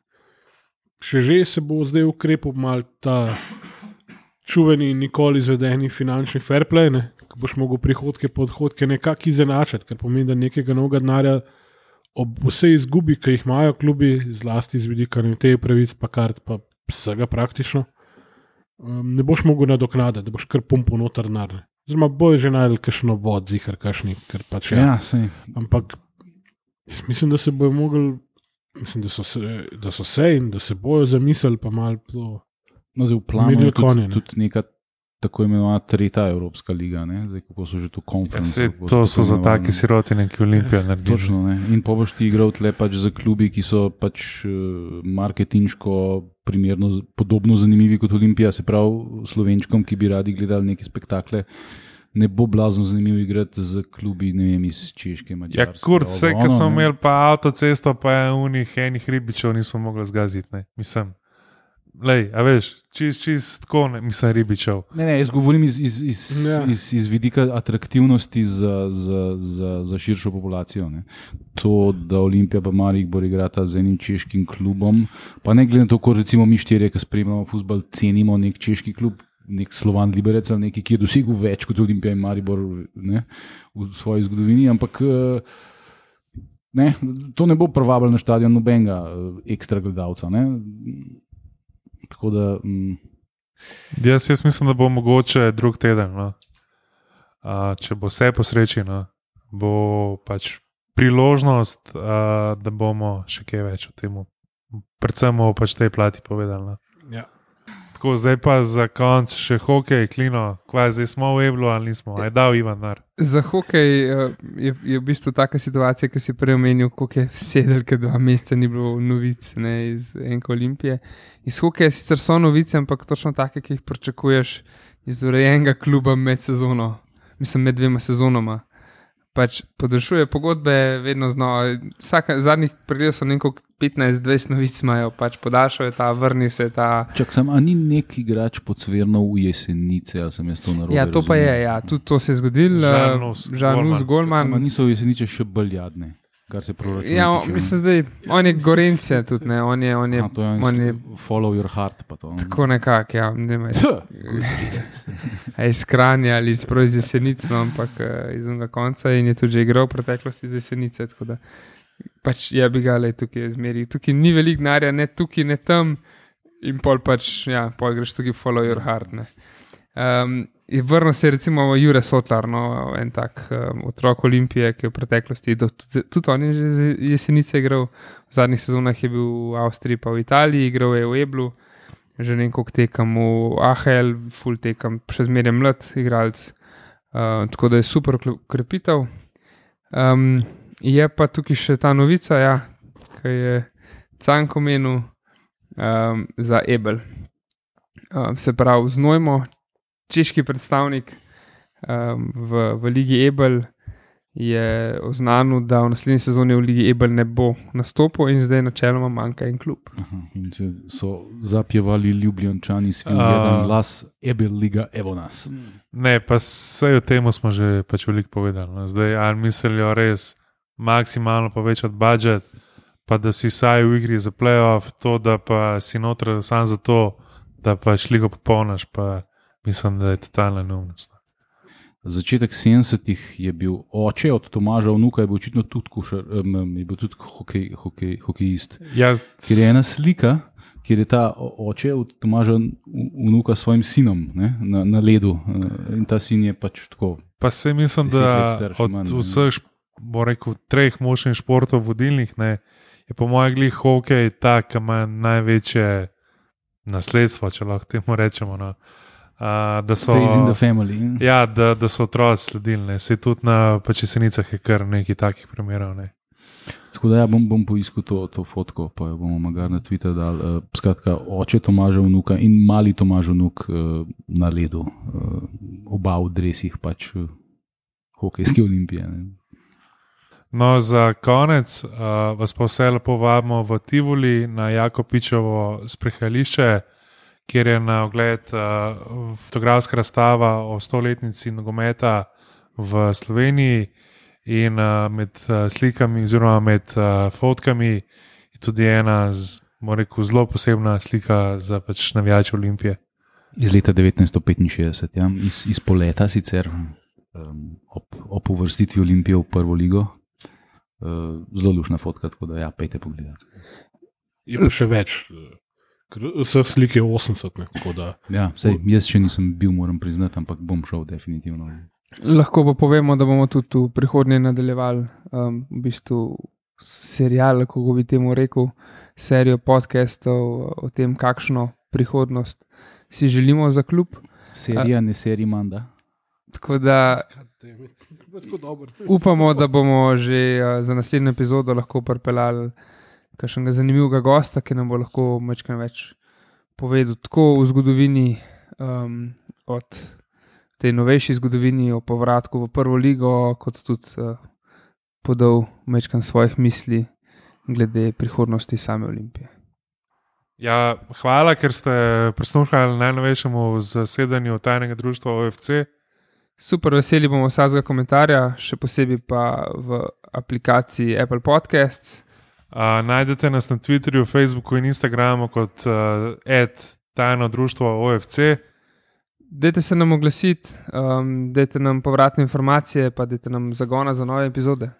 Še že se bo zdaj ukrepil mal ta čuveni in nikoli izvedeni finančni fair play, ne? Ko boš mogel prihodke po odhodke nekako izenačati, kar pomeni, da nekega novega denarja ob vsej izgubi, ki jih imajo klubi, zlasti z vidika te pravic, pa kart, pa vsega praktično, ne boš mogel nadoknaditi, da boš kar pumpo noter denar. Zdaj bojo že najdel kakšno vod, zihar kakšni, ker pač je. Ja, sej. Ampak mislim, da se bojo mogli, mislim, da so se, da so se in da se bojo zamislili, pa malo to. No, zdaj v planu je tudi, tudi neka tako imenovana tretja Evropska liga, ne? Zdaj, kako so že to konference. Ja, to so za take sirotine, ki Olimpija naredi. Točno, ne. In pa boš ti igral tle pač za klubi, ki so pač marketinško primerno podobno zanimivi kot Olimpija, se pravi Slovenčkom, ki bi radi gledali neke spektakle. Ne bo blazno zanimivo igrati z klubi, ne vem, iz Češke, Mađarske. Ja, kurc, vse, ko smo imeli pa avtocesto, pa je unih enih ribičev nismo mogli zgaziti, ne, mislim. Lej, a veš, čist, čist tako, ne, mislim, ribičev. Ne, ne, jaz govorim iz, iz, iz, ja. iz, iz vidika atraktivnosti za, za, za, za širšo populacijo. Ne. To, da Olimpija pa Maribor igrata z enim češkim klubom, pa ne glede na to, ko recimo mi štirje, ki spremljamo fuzbal, cenimo nek češki klub, nek Slovan Liberec ali neki, ki je dosegel več kot Olimpija in Maribor, ne, v svoji zgodovini, ampak ne, to ne bo privabilo na štadion nobenega ekstra gledalca. Ne. Tako da, mm. jaz, jaz mislim, da bo mogoče drug teden. No. A, če bo vse po sreči, no, bo pač priložnost, a, da bomo še kaj več o tem, predvsem o pač tej plati povedali. No. Ja. Tako, zdaj pa za konc še hokej, Klino, kvaj zdaj smo v Eblu ali nismo, aj dal Ivan nar. Za hokej je, je v bistvu taka situacija, ki si prej omenil, koliko je sedel, ker dva meseca ni bilo novic, ne, iz enke Olimpije. Iz hokeja sicer so novice, ampak točno take, ki jih pričakuješ iz urejenega kluba med sezono, mislim med dvema sezonoma. Pač podaljšuje pogodbe vedno znova, vsaka, zadnjih pregledal so nekako petnajst dvajset novic imajo, pač podaljšajo ta, vrni se ta. Čak sem, a ni nek igrač Podsvernov v Jesenice, ali sem jaz to narobe Ja, to razumel? pa je, ja, tudi to se je zgodilo. Žanus, Žanus, Golman. Čak sem, a niso v Jesenice še bolj jadne, kar se proračuna Ja, tiče. mislim zdaj, on je Gorence tudi, ne, on je, on je, A, to je, on je follow your heart, pa to. tako nekako, ja, ne vem, a iz Kranja ali iz, iz Jesenic, no, ampak uh, iz onega konca in je tudi že igral v preteklosti iz Jesenice, tako da pač je bi ga, lej, tukaj je zmeri, tukaj ni veliko denarja, ne tukaj, ne tam in pol pač, ja, pol greš tukaj follow your heart, ne. Um, je vrnil se recimo Jure Sotlar, no, en tak um, otrok Olimpije, ki je v preteklosti, do, tudi, tudi on je že z Jesenice igral, v zadnjih sezonah je bil v Avstriji pa v Italiji, igral je v Eblu, že nekako tekam v A H L, full tekam, še zmeraj mlad igralec, uh, tako da je super krepitev. Um, je pa tukaj še ta novica, ja, ki je Canko menil um, za Ebel. Um, se pravi, Znojmo, češki predstavnik um, v, v Ligi Ebel je oznanil, da v naslednji sezoni v Ligi Ebel ne bo nastopil in zdaj načeloma manjka en klub. Aha, in se so zapjevali Ljubljančani s film jedan glas Ebel Liga, evo nas. Ne, pa vse o tem smo že pač veliko povedali. No. Zdaj, ali mislijo res maksimalno povečati budžet, pa da si vsaj v igri za playoff, to, da pa si noter sam za to, da pač ligo popolnaš, pa mislim, da je totalna neumnost. Začetek sedemdesetih je bil oče od Tomaža vnuka, je bil očitno tudi, kušar, um, je bil tudi hokej, hokej, hokejist. Ja, Ker je ena slika, kjer je ta oče od Tomaža vnuka s svojim sinom, ne, na, na ledu in ta sin je pač tako. Pa se mislim, da od manj, vseh, bo rekel, treh močnih športov vodilnih, ne, je po mojem glih hokej ta, ki ima največje nasledstvo, če lahko temu rečemo. No. Uh, da so, Stays in the family. Ja, da, da so otroci sledili. Se tudi na pač Jesenicah je kar nekaj takih primerov. Ne. Tako da ja, bom, bom poiskal to, to fotko, pa jo bomo magar na Twitter dali. Uh, skratka, oče Tomaža vnuka in mali Tomaž vnuk uh, na ledu. Uh, oba v dresih pač uh, hokejske Olimpije. Ne. No, za konec uh, vas pa vse lepo vabimo v Tivoli na Jakopičevo sprehajališče, kjer je na ogled uh, fotografska razstava o stoletnici nogometa v Sloveniji in uh, med uh, slikami oziroma med uh, fotkami je tudi ena z, rekel, zelo posebna slika za pač navijače Olimpije. Iz leta devetnajststo petinšestdeset, ja, iz, iz poleta sicer um, ob, ob uvrstitvi Olimpije v prvo ligo. Uh, zelo lušna fotka, tako da ja, pejte pogledati. Je pa še več. Vseh slik je osemdeset. Ne, da... Ja, sej, jaz še nisem bil, moram priznati, ampak bom šel definitivno. Lahko pa povemo, da bomo tudi v prihodnje nadaljevali um, v bistvu serial, kako bi temu rekel, serijo podcastov o tem, kakšno prihodnost si želimo za klub. Serija, ne serija, manda. Tako da upamo, da bomo že uh, za naslednjo epizodo lahko pripeljali kakšnega zanimivega gosta, ki nam bo lahko malo več povedal tako v zgodovini, um, od te novejši zgodovini, o povratku v prvo ligo, kot tudi uh, podal malo svojih misli glede prihodnosti same Olimpije. Ja, hvala, ker ste prisluhnili najnovejšemu zasedanju tajnega društva O F C. Super, veseli bomo vsakega komentarja, še posebej pa v aplikaciji Apple Podcasts. Uh, najdete nas na Twitterju, Facebooku in Instagramu kot uh, et tajno društvo O F C. Dajte se nam oglasiti, um, dajte nam povratne informacije, pa dajte nam zagona za nove epizode.